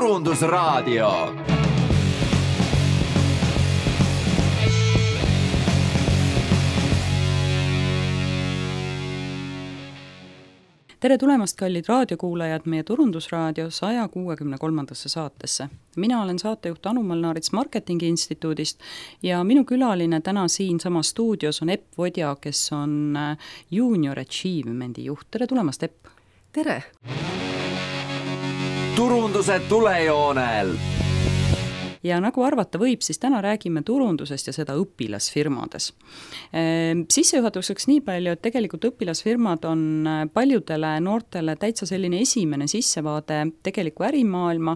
Turundusraadio. Tere tulemast, kallid raadiokuulajad, meie Turundusraadio 163. saatesse. Mina olen saatejuht Anu Molnarits Marketingi Instituudist ja minu külaline täna siin sama stuudios on Epp Vodja, kes on Junior Achievement'i juht. Tere tulemast, Epp! Tere! Turunduse tulejoonel! Ja nagu arvata võib, siis täna räägime turundusest ja seda õpilasfirmades. Sissejuhatuseks nii palju, et tegelikult õpilasfirmad on paljudele noortele täitsa selline esimene sissevaade tegeliku ärimaailma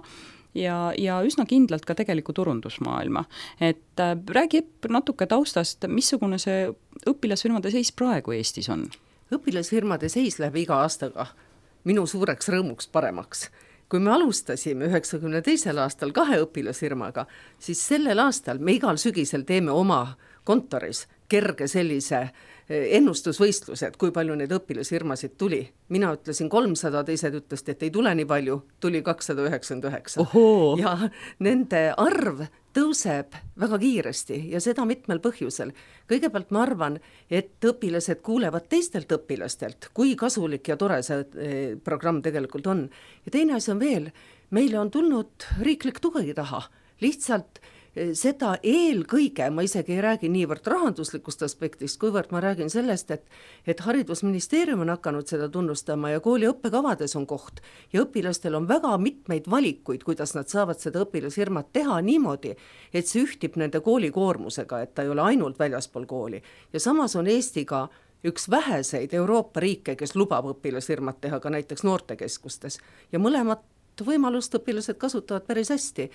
ja üsna kindlalt ka tegeliku turundusmaailma. Et räägi natuke taustast, missugune see õpilasfirmade seis praegu Eestis on? Õpilasfirmade seis läheb iga aastaga minu suureks rõõmuks paremaks. Kui me alustasime 92. aastal 2 õpilasfirmaga, siis sellel aastal me igal sügisel teeme oma kontoris kerge sellise ennustusvõistluse, et kui palju neid õpilasfirmasid tuli. Mina ütlesin 300, teised ütlesid, et ei tule nii palju, tuli 299. Ohoo. Ja nende arv tõuseb väga kiiresti ja seda mitmel põhjusel. Kõigepealt ma arvan, et õpilased kuulevad teistelt õpilastelt, kui kasulik ja tore see programm tegelikult on. Ja teine asi on veel, meile on tulnud riiklik tugi taha. Lihtsalt seda eelkõige, ma isegi ei räägi niivõrd rahanduslikust aspektist, kuivõrd ma räägin sellest, et haridusministeerium on hakanud seda tunnustama ja kooli õppekavades on koht ja õpilastel on väga mitmeid valikuid, kuidas nad saavad seda õpilasfirmat teha niimoodi, et see ühtib nende koolikoormusega, et ta ei ole ainult väljaspool kooli. Ja samas on Eesti ka üks väheseid Euroopa riike, kes lubab õpilasfirmat teha ka näiteks noortekeskustes ja mõlemat võimalust õpilased kasutavad päris hästi.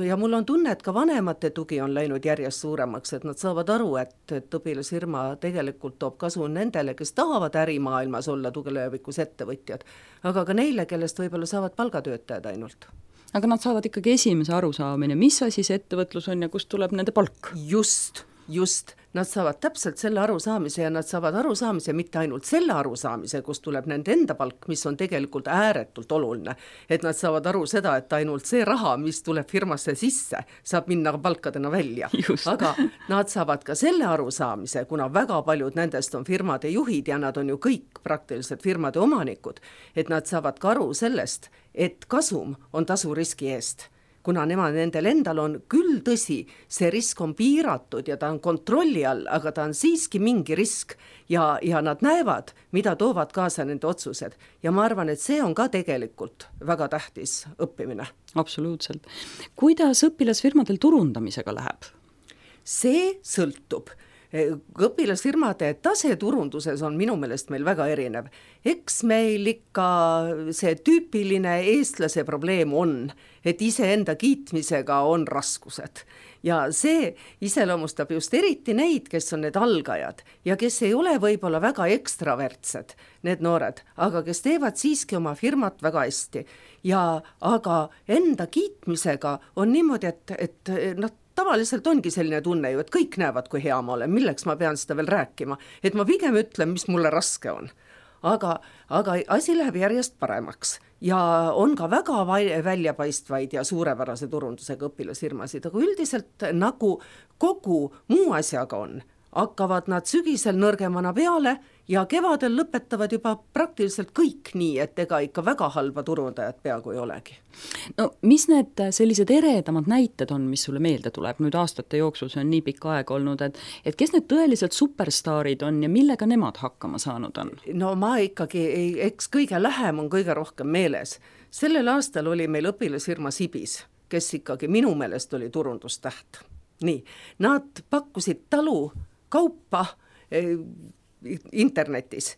Ja mul on tunne, et ka vanemate tugi on läinud järjest suuremaks, et nad saavad aru, et õpilasfirma tegelikult toob kasu nendele, kes tahavad ärimaailmas olla tulevikus ettevõtjad, aga ka neile, kellest võib-olla saavad palgatöötajad ainult. Aga nad saavad ikkagi esimese arusaamine, mis asi see ettevõtlus on ja kust tuleb nende palk? Just, nad saavad täpselt selle arusaamise ja nad saavad arusaamise mitte ainult selle arusaamise, kus tuleb nende enda palk, mis on tegelikult ääretult oluline, et nad saavad aru seda, et ainult see raha, mis tuleb firmasse sisse, saab minna palkadena välja. Just. Aga nad saavad ka selle arusaamise, kuna väga paljud nendest on firmade juhid ja nad on ju kõik praktiliselt firmade omanikud, et nad saavad ka aru sellest, et kasum on tasu riski eest. Kuna nendel endal on küll tõsi, see risk on piiratud ja ta on kontrolli all, aga ta on siiski mingi risk ja nad näevad, mida toovad kaasa nende otsused. Ja ma arvan, et see on ka tegelikult väga tähtis õppimine. Absoluutselt. Kuidas õpilasfirmadel turundamisega läheb? See sõltub. Õpilasfirmade tase turunduses on minu meelest meil väga erinev. Eks meil ikka see tüüpiline eestlase probleem on, et iseenda kiitmisega on raskused. Ja see iseloomustab just eriti neid, kes on need algajad ja kes ei ole võib-olla väga ekstravertsed, need noored, aga kes teevad siiski oma firmat väga hästi. Aga enda kiitmisega on niimoodi, et nad tavaliselt ongi selline tunne ju, et kõik näevad, kui hea ma olen, milleks ma pean seda veel rääkima, et ma pigem ütlen, mis mulle raske on. Aga asi läheb järjest paremaks ja on ka väga väljapaistvaid ja suurepärase turundusega õpilasfirmasid, aga üldiselt nagu kogu muu asjaga on, hakkavad nad sügisel nõrgemana peale ja kevadel lõpetavad juba praktiliselt kõik nii, et ega ikka väga halba turundajat peaaegu ei olegi. No mis need sellised eredamad näited on, mis sulle meelde tuleb? Nüüd aastate jooksul see on nii pikka aeg olnud, et kes need tõeliselt superstaarid on ja millega nemad hakkama saanud on? No ma ikkagi, eks kõige lähem on kõige rohkem meeles. Sellel aastal oli meil õpilasfirma Sibis, kes ikkagi minu meelest oli turundustäht. Nii, nad pakkusid talu kaupa internetis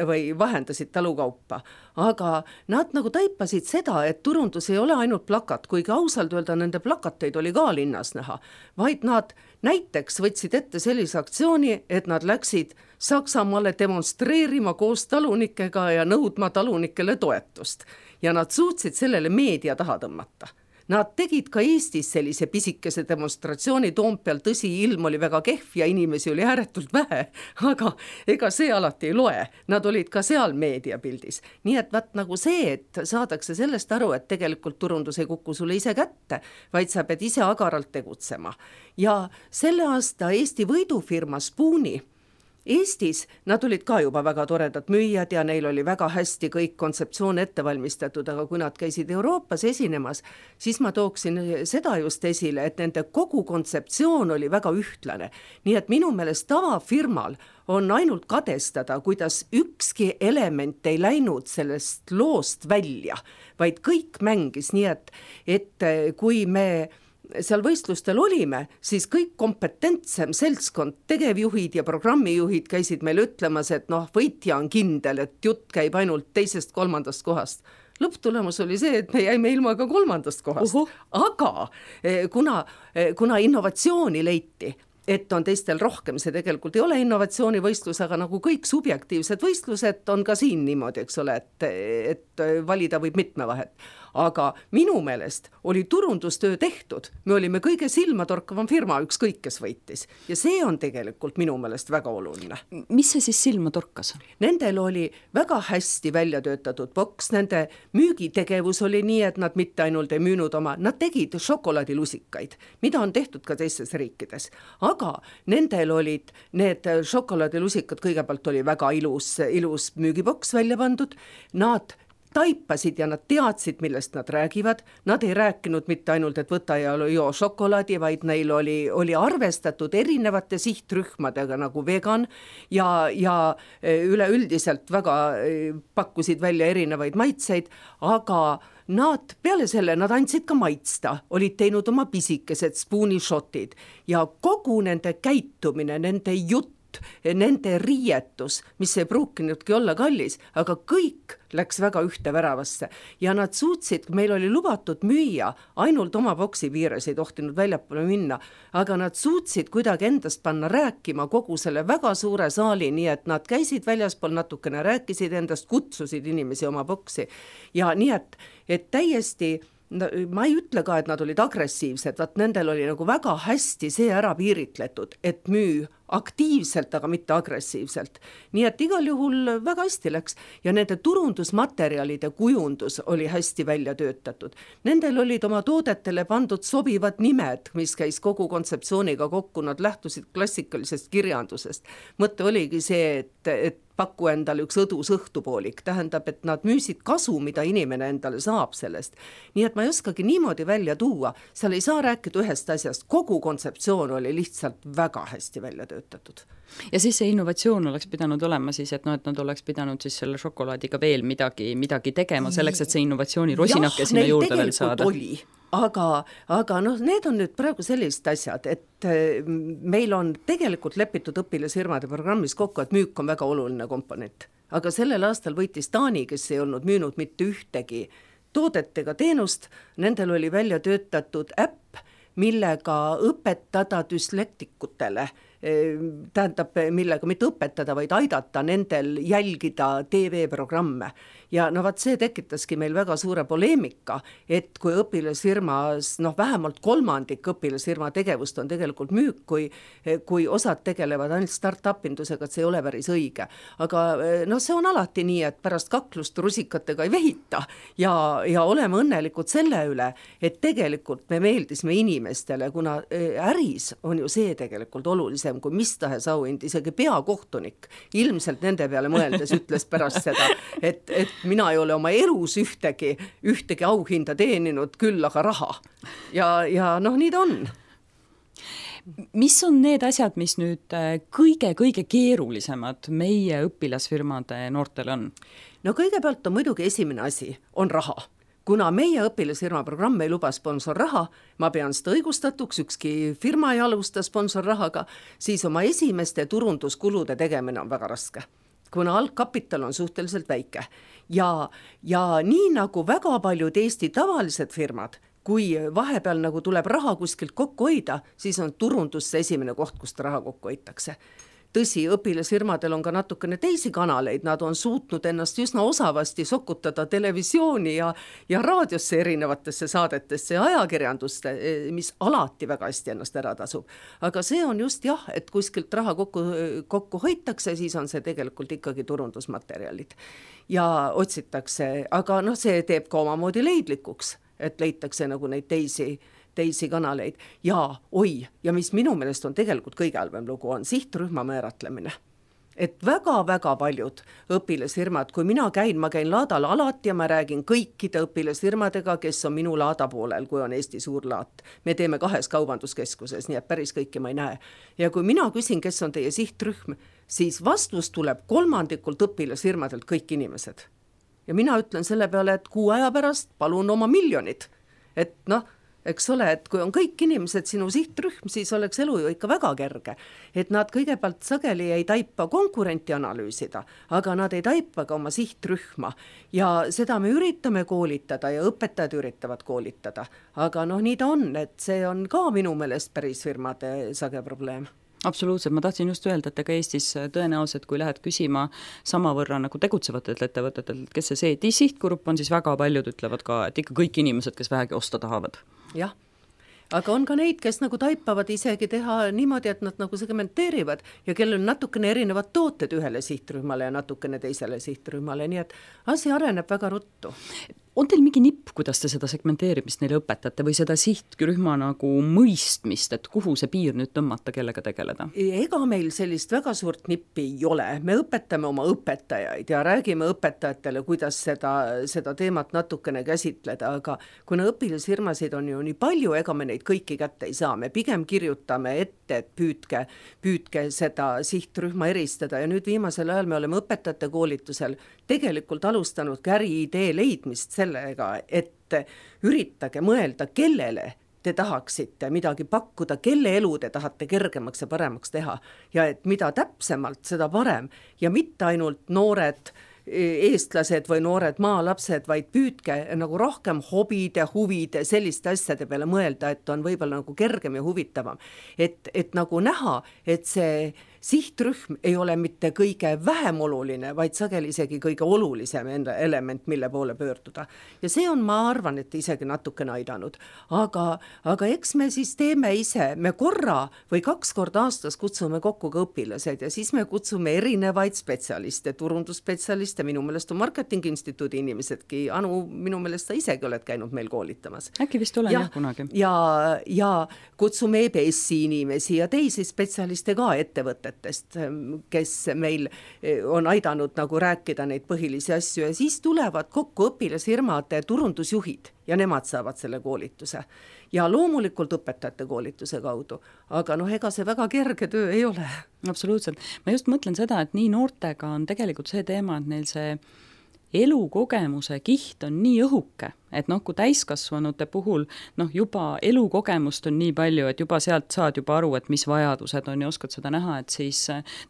või vahendasid talukaupa, aga nad nagu taipasid seda, et turundus ei ole ainult plakat, kuigi ausalt öelda nende plakateid oli ka linnas näha, vaid nad näiteks võtsid ette sellise aktsiooni, et nad läksid Saksamaale demonstreerima koos talunikega ja nõudma talunikele toetust ja nad suutsid sellele meedia taha tõmmata. Nad tegid ka Eestis sellise pisikese demonstratsiooni Toompeal, tõsi, ilm oli väga kehv ja inimesi oli ääretult vähe, aga ega see alati ei loe. Nad olid ka seal meediapildis. Nii et vaat nagu see, et saadakse sellest aru, et tegelikult turundus ei kuku sulle ise kätte, vaid sa pead ise agaralt tegutsema. Ja selle aasta Eesti võidufirma Spooni Eestis nad olid ka juba väga toredad müüjad ja neil oli väga hästi kõik kontseptsioon ette valmistatud, aga kui nad käisid Euroopas esinemas, siis ma tooksin seda just esile, et nende kogu kontseptsioon oli väga ühtlane. Nii et minu meelest tavafirmal on ainult kadestada, kuidas ükski element ei läinud sellest loost välja, vaid kõik mängis, nii et kui me seal võistlustel olime, siis kõik kompetentsem seltskond, tegevjuhid ja programmijuhid käisid meil ütlemas, et võitja on kindel, et jutt käib ainult 2.-3. kohast. Lõpptulemus oli see, et me jäime ilma ka 3. kohast. Aga kuna innovatsiooni leiti, et on teistel rohkem, see tegelikult ei ole innovatsioonivõistlus, aga nagu kõik subjektiivsed võistlused on ka siin niimoodi, eks ole, et valida võib mitme vahet. Aga minu meelest oli turundustöö tehtud, me olime kõige silmatorkavam firma, ükskõik kes võitis. Ja see on tegelikult minu meelest väga oluline. Mis see siis silma torkas? Nendel oli väga hästi välja töötatud boks, nende müügitegevus oli nii, et nad mitte ainult ei müünud nad tegid šokolaadilusikaid, mida on tehtud ka teistes riikides. Aga nendel olid need šokolaadilusikad, kõigepealt oli väga ilus müügiboks välja pandud, nad taipasid ja nad teadsid, millest nad räägivad. Nad ei rääkinud mitte ainult, et võta ja joo šokolaadi, vaid neil oli arvestatud erinevate sihtrühmadega nagu vegan ja üleüldiselt väga pakkusid välja erinevaid maitseid, aga nad peale selle, nad andsid ka maitsta, olid teinud oma pisikesed Spooni shotid ja kogu nende käitumine, nende jutt, nende riietus, mis ei pruukinudki olla kallis, aga kõik läks väga ühte väravasse ja nad suutsid, meil oli lubatud müüa, ainult oma boksi piires ei tohtinud väljapoole minna, aga nad suutsid kuidagi endast panna rääkima kogu selle väga suure saali, nii et nad käisid väljaspool natukene, rääkisid endast, kutsusid inimesi oma boksi ja nii et täiesti ma ei ütle ka, et nad olid agressiivsed, vaat nendel oli nagu väga hästi see ära piiritletud, et müü aktiivselt, aga mitte agressiivselt. Nii et igal juhul väga hästi läks ja nende turundusmaterjalide kujundus oli hästi välja töötatud. Nendel olid oma toodetele pandud sobivad nimed, mis käis kogu kontseptsiooniga kokku, nad lähtusid klassikalisest kirjandusest. Mõte oligi see, et pakku endale üks õdus õhtupoolik, tähendab, et nad müüsid kasu, mida inimene endale saab sellest. Nii et ma ei oskagi niimoodi välja tuua, seal ei saa rääkida ühest asjast, kogu kontseptsioon oli lihtsalt väga hästi välja töötatud. Ja siis see innovatsioon oleks pidanud olema siis, et nad oleks pidanud siis selle šokolaadiga veel midagi tegema selleks, et see innovatsiooni rosinake sinna juurde veel saada. Aga need on nüüd praegu sellised asjad, et meil on tegelikult lepitud õpilasfirmade programmis kokku, et müük on väga oluline komponent. Aga sellel aastal võitis Taani, kes ei olnud müünud mitte ühtegi toodet ega teenust, nendel oli välja töötatud äpp, millega õpetada düslektikutele, tähendab, millega mitte õpetada, vaid aidata nendel jälgida TV-programme. Ja vaat see tekitaski meil väga suure poleemika, et kui õpilasfirmas, vähemalt 3% õpilasfirma tegevust on tegelikult müük, kui osad tegelevad ainult start-upindusega, et see ei ole päris õige. Aga see on alati nii, et pärast kaklust rusikatega ei vehita ja oleme õnnelikud selle üle, et tegelikult me meeldisime inimestele, kuna äris on ju see tegelikult olulisem kui mis tahes auhind, isegi peakohtunik ilmselt nende peale mõeldes ütles pärast seda, et mina ei ole oma elus ühtegi auhinda teeninud, küll aga raha. Ja nii ta on. Mis on need asjad, mis nüüd kõige keerulisemad meie õpilasfirmade noortel on? Kõigepealt on muidugi esimene asi, on raha. Kuna meie õpilasfirma programm ei luba sponsorraha, ma pean seda õigustatuks, ükski firma ei alusta sponsorrahaga, siis oma esimeste turunduskulude tegemine on väga raske, kuna algkapital on suhteliselt väike. Ja nii nagu väga paljud Eesti tavalised firmad, kui vahepeal nagu tuleb raha kuskilt kokku hoida, siis on turundus see esimene koht, kust raha kokku hoitakse. tõsi, õpilasfirmadel on ka natukene teisi kanaleid, nad on suutnud ennast üsna osavasti sokutada televisiooni ja raadiosse erinevatesse saadetesse ja ajakirjanduste, mis alati väga hästi ennast ära tasub. Aga see on just jah, et kuskilt raha kokku hoitakse, siis on see tegelikult ikkagi turundusmaterjalid ja otsitakse, aga see teeb ka omamoodi leidlikuks, et leitakse nagu neid teisi kanaleid ja mis minu meelest on tegelikult kõige halvem lugu, on sihtrühma määratlemine. Et väga-väga paljud õpilasfirmad, kui ma käin laadal alati ja ma räägin kõikide õpilasfirmadega, kes on minu laada poolel, kui on Eesti suur laat. Me teeme 2 kaubanduskeskuses, nii et päris kõiki ma ei näe. Ja kui mina küsin, kes on teie sihtrühm, siis vastus tuleb 3% õpilasfirmadelt kõik inimesed. Ja mina ütlen selle peale, et 6 aja pärast palun oma miljonid. Et eks ole, et kui on kõik inimesed sinu sihtrühm, siis oleks elu ju ikka väga kerge. Et nad kõigepealt sageli ei taipa konkurenti analüüsida, aga nad ei taipa ka oma sihtrühma. Ja seda me üritame koolitada ja õpetajad üritavad koolitada. Aga nii ta on, et see on ka minu meelest päris firmade sage probleem. Absoluutselt, ma tahtsin just öelda, et ega Eestis tõenäoliselt, kui lähed küsima samavõrra nagu tegutsevatelt ettevõtetelt, kes see sihtgrupp on, siis väga paljud ütlevad ka, et ikka kõik inimesed, kes vähegi osta tahavad. Jah, aga on ka neid, kes nagu taipavad isegi teha niimoodi, et nad nagu segmenteerivad ja kellel on natukene erinevad tooted ühele sihtrühmale ja natukene teisele sihtrühmale, nii et asi areneb väga ruttu. On teil mingi nipp, kuidas te seda segmenteerimist neile õpetate või seda sihtrühma nagu mõistmist, et kuhu see piir nüüd tõmmata, kellega tegeleda? Ega meil sellist väga suurt nippi ei ole. Me õpetame oma õpetajaid ja räägime õpetajatele, kuidas seda teemat natukene käsitleda, aga kuna õpilasfirmasid on ju nii palju, ega me neid kõiki kätte ei saa. Me pigem kirjutame ette, et püüdke seda sihtrühma eristada ja nüüd viimasel ajal me oleme õpetajate koolitusel tegelikult alustanud äriidee leidmist sellega, et üritage mõelda, kellele te tahaksite midagi pakkuda, kelle elu te tahate kergemaks ja paremaks teha ja et mida täpsemalt, seda parem ja mitte ainult noored eestlased või noored maalapsed, vaid püüdke nagu rohkem hobide, huvide, selliste asjade peale mõelda, et on võib-olla nagu kergem ja huvitavam. Et nagu näha, et see sihtrühm ei ole mitte kõige vähem oluline, vaid sageli isegi kõige olulisem element, mille poole pöörduda. Ja see on, ma arvan, et isegi natukene aidanud. Aga eks me siis teeme ise, me korra või 2 korda aastas kutsume kokku ka õpilased ja siis me kutsume erinevaid spetsialiste, turundusspetsialiste, minu meelest on Marketingi Instituudi inimesedki, Anu, minu meelest sa isegi oled käinud meil koolitamas. Äkki vist olen jah kunagi. Ja kutsume EBS-i inimesi ja teisi spetsialiste ka ettevõtted, kes meil on aidanud nagu rääkida neid põhilisi asju ja siis tulevad kokku õpilasfirmade turundusjuhid ja nemad saavad selle koolituse. Ja loomulikult õpetajate koolituse kaudu, aga ega see väga kerge töö ei ole. Absoluutselt. Ma just mõtlen seda, et nii noortega on tegelikult see teema, et neil see elukogemuse kiht on nii õhuke, et kui täiskasvanute puhul juba elukogemust on nii palju, et juba sealt saad juba aru, et mis vajadused on ja oskad seda näha, et siis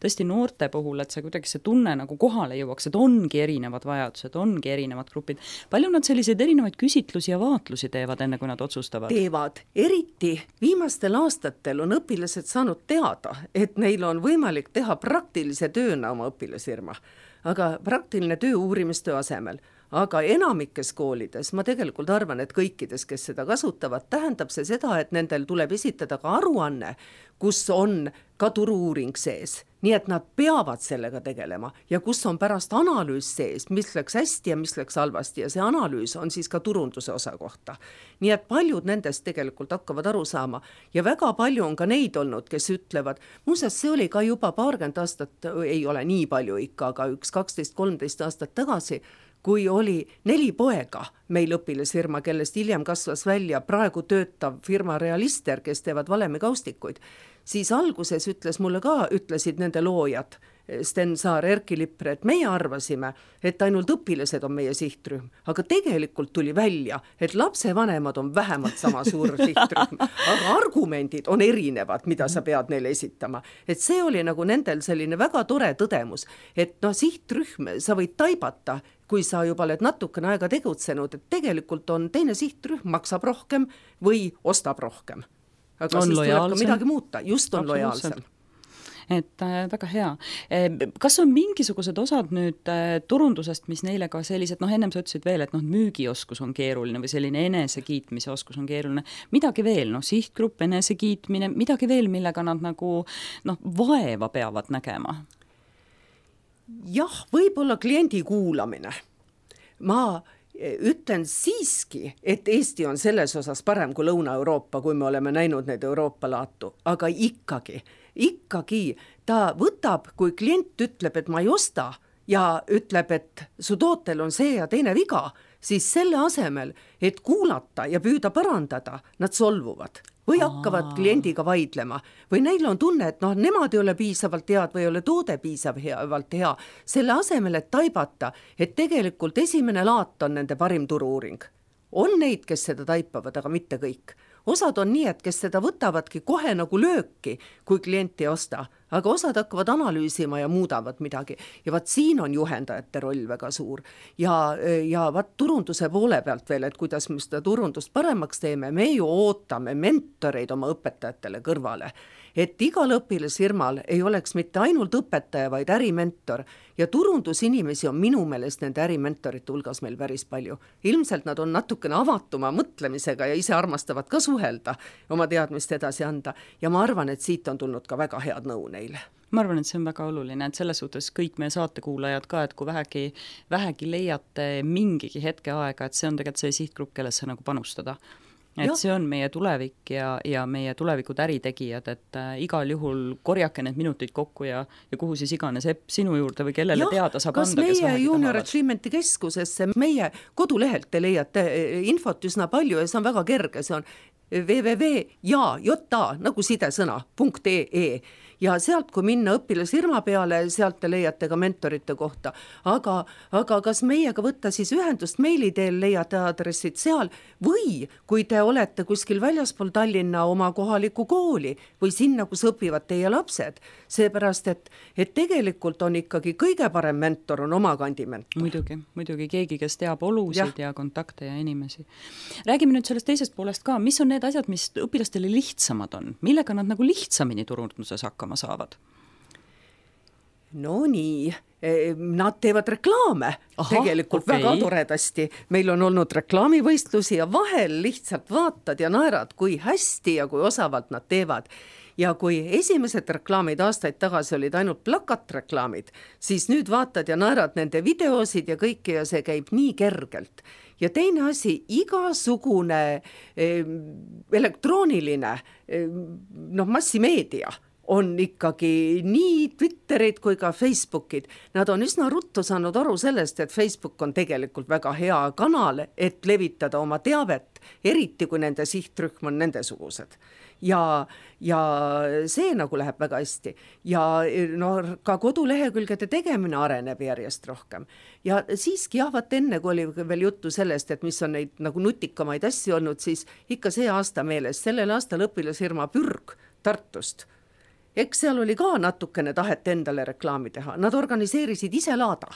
tõesti noorte puhul, et see kuidagi see tunne nagu kohale jõuaks, et ongi erinevad vajadused, ongi erinevad grupid. Palju nad selliseid erinevaid küsitlusi ja vaatlusi teevad, enne kui nad otsustavad? Teevad. Eriti viimastel aastatel on õpilased saanud teada, et neil on võimalik teha praktilise tööna oma õpilasfirma. Aga praktiline töö uurimistöö asemel. Aga enamikes koolides, ma tegelikult arvan, et kõikides, kes seda kasutavad, tähendab see seda, et nendel tuleb esitada ka aruanne, kus on ka turu-uuring sees. Nii et nad peavad sellega tegelema ja kus on pärast analüüs sees, mis läks hästi ja mis läks halvasti ja see analüüs on siis ka turunduse osa kohta. Nii et paljud nendest tegelikult hakkavad aru saama ja väga palju on ka neid olnud, kes ütlevad, muuseas see oli ka juba 20 aastat, ei ole nii palju ikka, aga 12-13 aastat tagasi, kui oli 4 poega meil õpilasfirma, kellest hiljem kasvas välja praegu töötav firma Realister, kes teevad valemikaustikuid, siis alguses ütlesid nende loojad, Sten Saar, Erki Lipre, et meie arvasime, et ainult õpilased on meie sihtrühm, aga tegelikult tuli välja, et lapsevanemad on vähemalt sama suur sihtrühm, aga argumendid on erinevad, mida sa pead neile esitama. Et see oli nagu nendel selline väga tore tõdemus, et sihtrühm sa võid taibata, kui sa juba oled natukene aega tegutsenud, et tegelikult on teine sihtrühm, maksab rohkem või ostab rohkem. Aga on siis lojaalsem. tuleb ka midagi muuta, just on lojaalsem. et väga hea. Kas on mingisugused osad nüüd turundusest, mis neile ka sellised, ennem sa ütlesid veel, et müügioskus on keeruline või selline enesekiitmise oskus on keeruline, midagi veel, sihtgrupp, enesekiitmine, midagi veel, millega nad nagu vaeva peavad nägema? Jah, võib-olla kliendi kuulamine. Ma ütlen siiski, et Eesti on selles osas parem kui Lõuna-Euroopa, kui me oleme näinud neid Euroopa laatu, aga ikkagi ta võtab, kui klient ütleb, et ma ei osta ja ütleb, et su tootel on see ja teine viga, siis selle asemel, et kuulata ja püüda parandada, nad solvuvad või hakkavad kliendiga vaidlema või neil on tunne, et nemad ei ole piisavalt head või ei ole toode piisavalt hea, selle asemel, et taibata, et tegelikult esimene laat on nende parim turu-uuring. On neid, kes seda taipavad, aga mitte kõik. Osad on nii, et kes seda võtavadki kohe nagu lööki, kui klient ei osta, aga osad hakkavad analüüsima ja muudavad midagi. Ja vaat siin on juhendajate roll väga suur. Ja vaat turunduse poole pealt veel, et kuidas me seda turundust paremaks teeme, me ju ootame mentoreid oma õpetajatele kõrvale. Et igal õpilasfirmal ei oleks mitte ainult õpetaja, vaid ärimentor ja turundusinimesi on minu meelest nende ärimentorite hulgas meil päris palju. Ilmselt nad on natukene avatuma mõtlemisega ja ise armastavad ka suhelda, oma teadmist edasi anda ja ma arvan, et siit on tulnud ka väga head nõu neile. Ma arvan, et see on väga oluline, et selles suhtes kõik meie saatekuulajad ka, et kui vähegi leiate mingigi hetke aega, et see on tegelikult see sihtgrupp, kellesse nagu panustada. Et see on meie tulevik ja meie tulevikud äritegijad, et igal juhul korjake need minutid kokku ja kuhu siis iganes sinu juurde või kellele teada saab anda, kes meie Junior Achievementi keskusesse, meie kodulehelt te leiate infot üsna palju ja see on väga kerge, see on www.ja nagu sidesõna.ee ja sealt, kui minna õpilasfirma peale, sealt te leiate ka mentorite kohta. Aga kas meiega võtta siis ühendust meili teel, leiate aadressid seal või kui te olete kuskil väljaspool Tallinna oma kohaliku kooli või sinna, kus õpivad teie lapsed, seepärast, et tegelikult on ikkagi kõige parem mentor on oma kandi mentor. Muidugi keegi, kes teab olusid ja kontakte ja inimesi. Räägime nüüd sellest teisest poolest ka, mis on need asjad, mis õpilastele lihtsamad on, millega nad nagu lihtsamini turunduses hakkama saavad? No nii, nad teevad reklaame tegelikult väga toredasti. Meil on olnud reklaamivõistlusi ja vahel lihtsalt vaatad ja naerad, kui hästi ja kui osavalt nad teevad. Ja kui esimesed reklaamid aastaid tagasi olid ainult plakatreklaamid, siis nüüd vaatad ja naerad nende videosid ja kõike ja see käib nii kergelt. Ja teine asi, igasugune elektrooniline massimeedia on ikkagi nii Twitterid kui ka Facebookid. Nad on üsna ruttu saanud aru sellest, et Facebook on tegelikult väga hea kanal, et levitada oma teavet, eriti kui nende sihtrühm on nendesugused. Ja see nagu läheb väga hästi. Ja ka kodulehekülgede tegemine areneb järjest rohkem. Ja siiski vaat enne, kui oli veel juttu sellest, et mis on neid nagu nutikamaid asju olnud, siis ikka see aasta meeles, sellel aastal õpilasfirma Pürg Tartust. Eks seal oli ka natukene tahet endale reklaami teha. Nad organiseerisid ise laada.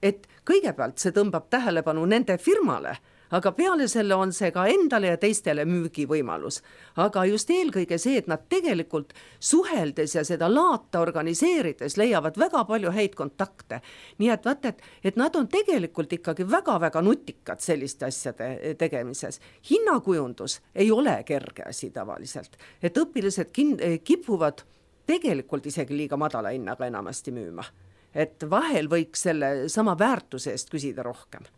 Et kõigepealt see tõmbab tähelepanu nende firmale, aga peale selle on see ka endale ja teistele müügivõimalus. Aga just eelkõige see, et nad tegelikult suheldes ja seda laata organiseerides leiavad väga palju häid kontakte. Nii et vaat, et nad on tegelikult ikkagi väga-väga nutikad selliste asjade tegemises. Hinnakujundus ei ole kerge asi tavaliselt. Et õpilased kipuvad tegelikult isegi liiga madala hinnaga enamasti müüma. Et vahel võiks selle sama väärtuse eest küsida rohkem.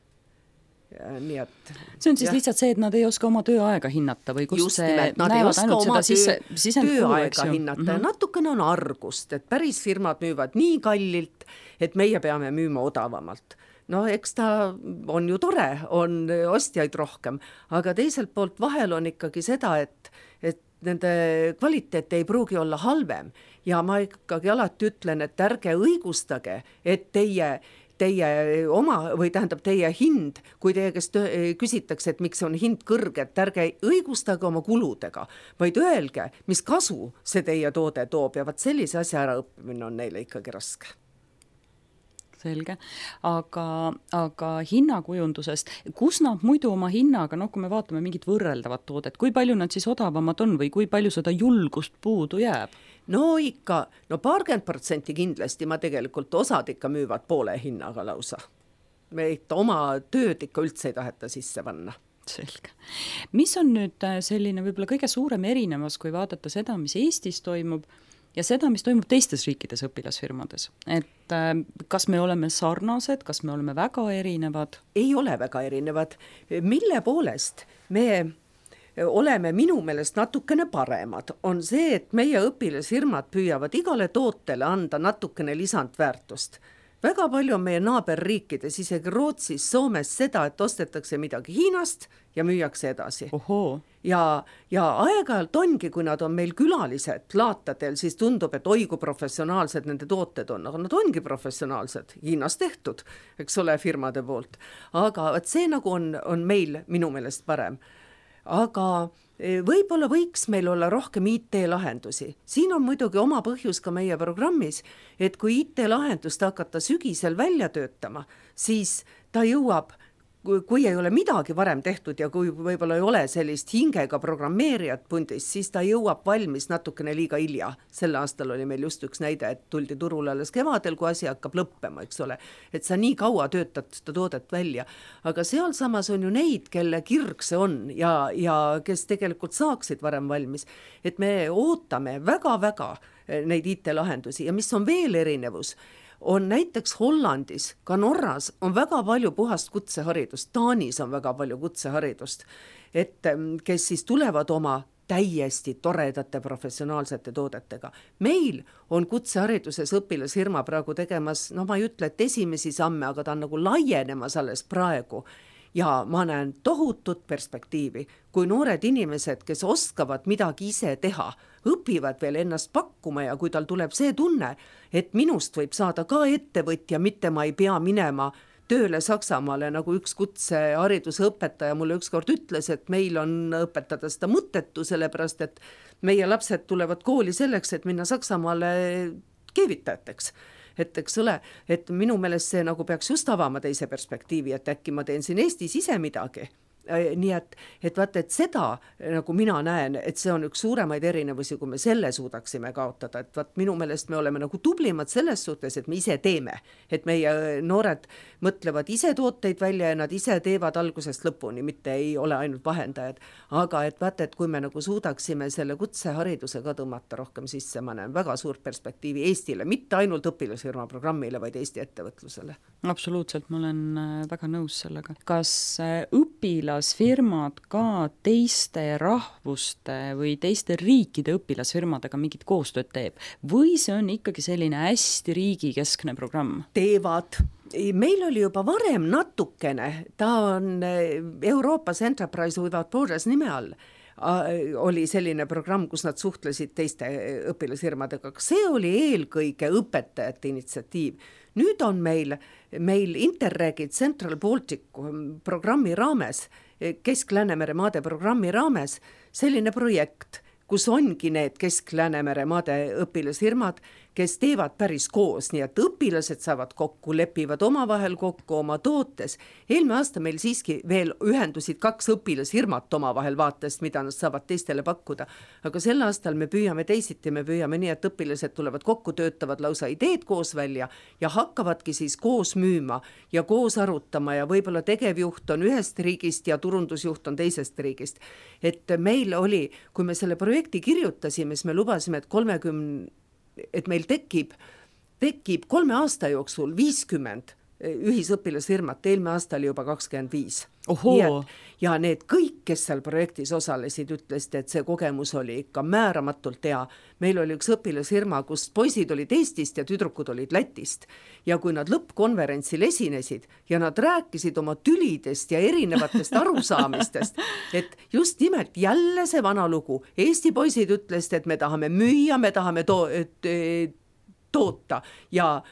Nii et, see on siis lihtsalt see, et nad ei oska oma tööaega hinnata või kus just nimelt, nad ei oska oma tööaega hinnata ja natukene on argust, et päris firmad müüvad nii kallilt, et meie peame müüma odavamalt. No eks ta on ju tore, on ostjaid rohkem, aga teiselt poolt vahel on ikkagi seda, et nende kvaliteet ei pruugi olla halvem ja ma ikkagi alati ütlen, et ärge õigustage, et teie oma või tähendab teie hind, kui teie käest küsitakse, et miks on hind kõrge, et ärge õigustage oma kuludega, vaid öelge, mis kasu see teie toode toob ja vaat sellise asja ära õppimine on neile ikkagi raske. Selge, aga hinnakujundusest, kus nad muidu oma hinnaga, kui me vaatame mingit võrreldavat toodet, kui palju nad siis odavamad on või kui palju seda julgust puudu jääb? No ikka, 20% kindlasti ma tegelikult osad ikka müüvad poole hinnaga lausa. Me ikka oma tööd ikka üldse ei taheta sisse panna. Selge. Mis on nüüd selline võib-olla kõige suurem erinevus, kui vaadata seda, mis Eestis toimub ja seda, mis toimub teistes riikides õpilasfirmades? Et kas me oleme sarnased, kas me oleme väga erinevad? Ei ole väga erinevad. Mille poolest me oleme minu meelest natukene paremad, on see, et meie õpilasfirmad püüavad igale tootele anda natukene lisandväärtust. Väga palju on meie naaberriikides, isegi Rootsis, Soomes seda, et ostetakse midagi Hiinast ja müüakse edasi. Ohoo. Ja aeg-ajalt ongi, kui nad on meil külalised laatadel, siis tundub, et oi kui professionaalsed nende tooted on, aga nad ongi professionaalsed, Hiinas tehtud, eks ole, firmade poolt. Aga see nagu on meil minu meelest parem. Aga võib-olla võiks meil olla rohkem IT-lahendusi. Siin on muidugi oma põhjus ka meie programmis, et kui IT-lahendust hakata sügisel välja töötama, siis ta jõuab, kui ei ole midagi varem tehtud ja kui võib-olla ei ole sellist hingega programmeerijat pundis, siis ta jõuab valmis natukene liiga hilja. Sel aastal oli meil just üks näide, et tuldi turule alles kevadel, kui asi hakkab lõppema, eks ole. Et sa nii kaua töötad seda toodet välja. Aga seal samas on ju neid, kelle kirg see on ja kes tegelikult saaksid varem valmis. Et me ootame väga-väga neid IT-lahendusi ja mis on veel erinevus, on näiteks Hollandis, ka Norras on väga palju puhast kutseharidust, Taanis on väga palju kutseharidust, et kes siis tulevad oma täiesti toredate professionaalsete toodetega. Meil on kutsehariduses õpilasfirma praegu tegemas, ma ei ütle, et esimesi samme, aga ta on nagu laienemas alles praegu. Ja ma näen tohutut perspektiivi, kui noored inimesed, kes oskavad midagi ise teha, õpivad veel ennast pakkuma ja kui tal tuleb see tunne, et minust võib saada ka ettevõtja, mitte ma ei pea minema tööle Saksamaale, nagu üks kutsehariduse õpetaja mulle ükskord ütles, et meil on õpetada seda mõttetu, sellepärast et meie lapsed tulevad kooli selleks, et minna Saksamaale keevitajateks. Et eks ole, et minu meelest see nagu peaks just avama teise perspektiivi, et äkki ma teen siin Eestis ise midagi. Nii et vaata, et seda nagu mina näen, et see on üks suuremaid erinevusi, kui me selle suudaksime kaotada, et vaat minu meelest me oleme nagu tublimad selles suhtes, et me ise teeme, et meie noored mõtlevad ise tooteid välja ja nad ise teevad algusest lõpuni, mitte ei ole ainult vahendajad, aga et vaata, et kui me nagu suudaksime selle kutsehariduse ka tõmmata rohkem sisse, ma näen väga suurt perspektiivi Eestile, mitte ainult õpilasfirma programmile, vaid Eesti ettevõtlusele. Absoluutselt, ma olen väga nõus sellega. Kas õpilasfirmad ka teiste rahvuste või teiste riikide õpilasfirmadega mingit koostööd teeb? Või see on ikkagi selline hästi riigikeskne programm? Teevad. Meil oli juba varem natukene, ta on Euroopas Enterprise Without Borders nime all, oli selline programm, kus nad suhtlesid teiste õpilasfirmadega. See oli eelkõige õpetajate initsiatiiv. Nüüd on meil Interregi Central Baltic programmi raames, Kesk-Läänemere maade programmi raames selline projekt, kus ongi need Kesk-Läänemere maade õpilasfirmad, kes teevad päris koos, nii et õpilased saavad kokku, lepivad omavahel kokku oma tootes. Eelmine aasta meil siiski veel ühendusid 2 õpilasfirmat omavahel vaatest, mida nad saavad teistele pakkuda. Aga sel aastal me püüame teisiti, me püüame nii, et õpilased tulevad kokku, töötavad lausa ideed koos välja ja hakkavadki siis koos müüma ja koos arutama ja võib-olla tegevjuht on ühest riigist ja turundusjuht on teisest riigist. Et meil oli, kui me selle projekti kirjutasime, siis me lubasime, et meil tekib 3 aasta jooksul 50 ühisõpilasfirmat, eelmine aasta oli juba 25. Ja need kõik, kes seal projektis osalesid, ütlesid, et see kogemus oli ikka määramatult hea. Meil oli üks õpilasfirma, kus poisid olid Eestist ja tüdrukud olid Lätist. Ja kui nad lõppkonverentsil esinesid ja nad rääkisid oma tülidest ja erinevatest arusaamistest, et just nimelt jälle see vana lugu. Eesti poisid ütlesid, et me tahame müüa, me tahame toota ja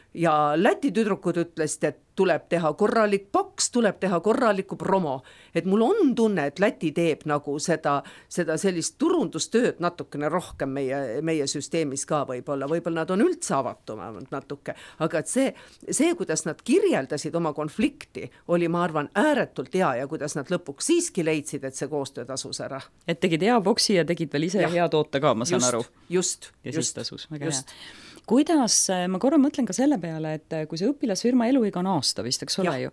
Läti tüdrukud ütlesid, et tuleb teha korralik boks, tuleb teha korralikku promo. Et mul on tunne, et Läti teeb nagu seda sellist turundustööd natukene rohkem meie süsteemis ka võib-olla nad on üldse avatumad natuke, aga et see, kuidas nad kirjeldasid oma konflikti, oli, ma arvan, ääretult hea ja kuidas nad lõpuks siiski leidsid, et see koostöö tasus ära. Et tegid hea boksi ja tegid veel ise hea toote ka, ma saan aru. Just. Siis tasus, väga hea. Kuidas, ma korra mõtlen ka selle peale, et kui see õpilasfirma eluiga on aasta vist, eks ole ju,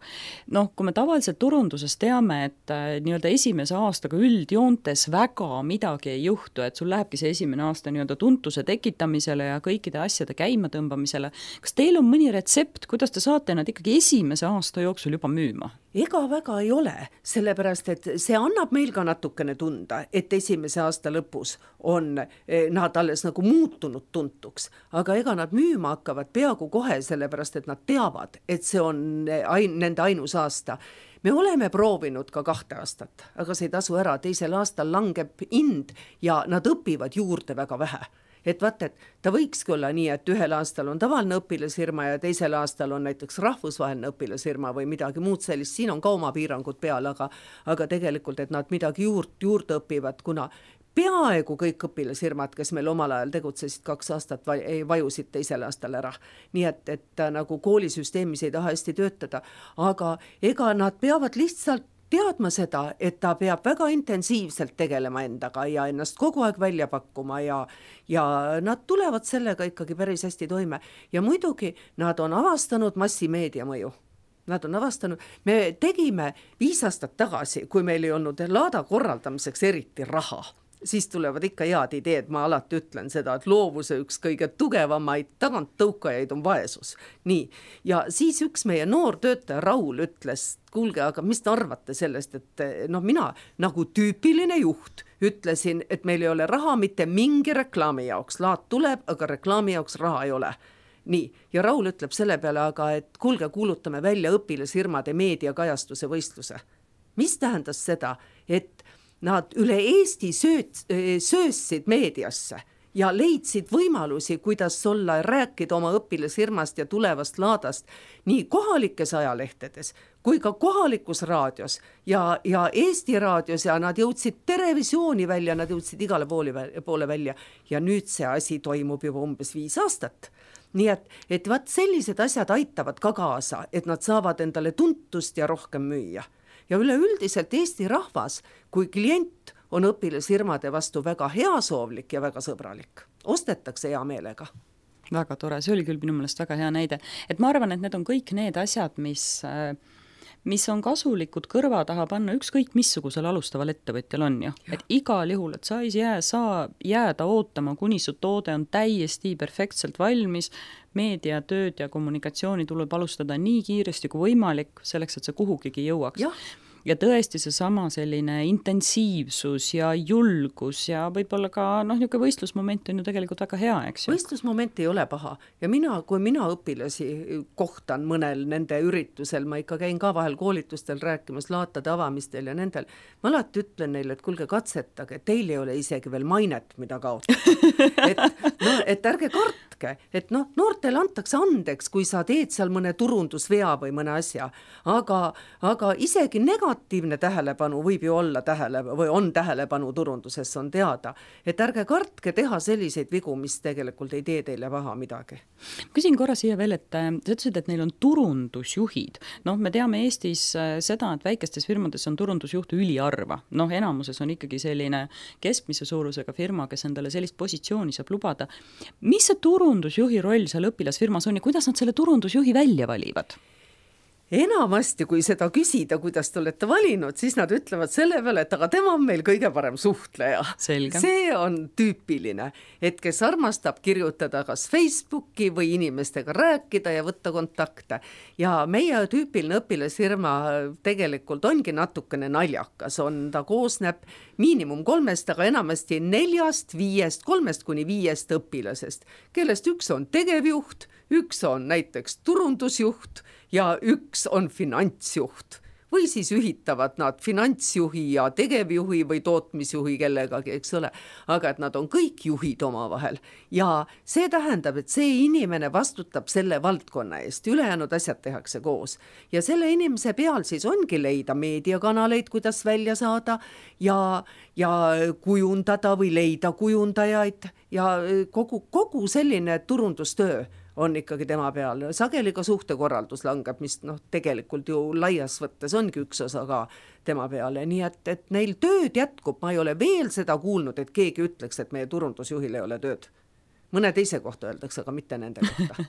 noh, kui me tavaliselt turunduses teame, et nii-öelda esimese aastaga üldjoontes väga midagi ei juhtu, et sul lähebki see esimene aasta nii-öelda tuntuse tekitamisele ja kõikide asjade käima tõmbamisele, kas teil on mõni retsept, kuidas te saate nad ikkagi esimese aasta jooksul juba müüma? Ega väga ei ole, sellepärast, et see annab meil ka natukene tunda, et esimese aasta lõpus on nad alles nagu muutunud tuntuks, aga ega nad müüma hakkavad peaaegu kohe, sellepärast, et nad teavad, et see on nende ainus aasta. Me oleme proovinud ka 2 aastat, aga see ei tasu ära, teisel aastal langeb hind ja nad õpivad juurde väga vähe. Et vaata, et ta võikski olla nii, et ühel aastal on tavaline õpilasfirma ja teisel aastal on näiteks rahvusvaheline õpilasfirma või midagi muud sellist, siin on ka oma piirangud peal, aga tegelikult, et nad midagi juurde õpivad, kuna peaaegu kõik õpilasfirmad, kes meil omal ajal tegutsesid 2 aastat, vajusid teisel aastal ära. Nii et nagu koolisüsteemis ei taha hästi töötada, aga ega nad peavad lihtsalt teadma seda, et ta peab väga intensiivselt tegelema endaga ja ennast kogu aeg välja pakkuma ja nad tulevad sellega ikkagi päris hästi toime. Ja muidugi nad on avastanud massimeedia mõju. Nad on avastanud, me tegime 5 aastat tagasi, kui meil ei olnud laada korraldamiseks eriti raha, siis tulevad ikka head ideed, ma alati ütlen seda, et loovuse üks kõige tugevamaid taganttõukajaid on vaesus. Nii, ja siis üks meie noor töötaja Raul ütles, kuulge, aga mis te arvate sellest, et mina nagu tüüpiline juht ütlesin, et meil ei ole raha mitte mingi reklaami jaoks, laad tuleb, aga reklaami jaoks raha ei ole. Nii, ja Raul ütleb selle peale, aga et kuulge, kuulutame välja õpilasfirmade meediakajastuse võistluse. Mis tähendas seda, et nad üle Eesti söössid meediasse ja leidsid võimalusi, kuidas olla, rääkida oma õpilasfirmast ja tulevast laadast nii kohalikes ajalehtedes kui ka kohalikus raadios ja Eesti raadios ja nad jõudsid televisiooni välja, nad jõudsid igale poole välja ja nüüd see asi toimub juba umbes 5 aastat. Nii et vaat sellised asjad aitavad ka kaasa, et nad saavad endale tuntust ja rohkem müüa. Ja üleüldiselt Eesti rahvas, kui klient on õpilasfirmade vastu väga heasoovlik ja väga sõbralik. Ostetakse hea meelega. Väga tore, see oli küll minu meelest väga hea näide. Et ma arvan, et need on kõik need asjad, mis on kasulikud kõrva taha panna ükskõik missugusel alustaval ettevõtjal on ju. Et igal juhul, et sa ei saa jääda ootama, kuni su toode on täiesti perfektselt valmis, meediatööd ja kommunikatsiooni tuleb alustada nii kiiresti kui võimalik, selleks, et see kuhugigi jõuaks. Ja tõesti seesama selline intensiivsus ja julgus ja võib-olla ka niisugune võistlusmoment on ju tegelikult väga hea, eks ju? Võistlusmoment ei ole paha ja kui mina õpilasi kohtan mõnel nende üritusel, ma ikka käin ka vahel koolitustel rääkimas, laatade avamistel ja nendel, ma alati ütlen neile, et kuulge katsetage, teil ei ole isegi veel mainet, mida kaotada. Et ärge kartke, et noortel antakse andeks, kui sa teed seal mõne turundusvea või mõne asja, aga isegi negatiivne tähelepanu võib ju olla või on tähelepanu turunduses, on teada, et ärge kartke teha selliseid vigu, mis tegelikult ei tee teile paha midagi. Küsin korra siia veel, et sa ütlesid, et neil on turundusjuhid. Me teame Eestis seda, et väikestes firmades on turundusjuht üliharva. Enamuses on ikkagi selline keskmise suurusega firma, kes endale sellist positsiooni saab lubada. Mis see turundusjuhi roll seal õpilasfirmas on ja kuidas nad selle turundusjuhi välja valivad? Enamasti, kui seda küsida, kuidas te olete valinud, siis nad ütlevad selle peale, et aga tema on meil kõige parem suhtleja. Selge. See on tüüpiline, et kes armastab kirjutada kas Facebooki või inimestega rääkida ja võtta kontakte. Ja meie tüüpiline õpilasfirma tegelikult ongi natukene naljakas. Ta koosneb miinimum 3, aga enamasti 4, 5, 3 kuni 5 õpilasest, kellest üks on tegevjuht, üks on näiteks turundusjuht ja üks on finantsjuht. või siis ühitavad nad finantsjuhi ja tegevjuhi või tootmisjuhi kellegagi, eks ole, aga et nad on kõik juhid omavahel ja see tähendab, et see inimene vastutab selle valdkonna eest, ülejäänud asjad tehakse koos ja selle inimese peal siis ongi leida meediakanaleid, kuidas välja saada ja kujundada või leida kujundajaid ja kogu selline turundustöö on ikkagi tema peal. Sageli ka suhtekorraldus langeb, mis tegelikult ju laias võttes ongi üks osa ka tema peale. Nii et neil tööd jätkub, ma ei ole veel seda kuulnud, et keegi ütleks, et meie turundusjuhil ei ole tööd. Mõne teise kohta öeldakse, aga mitte nende kohta.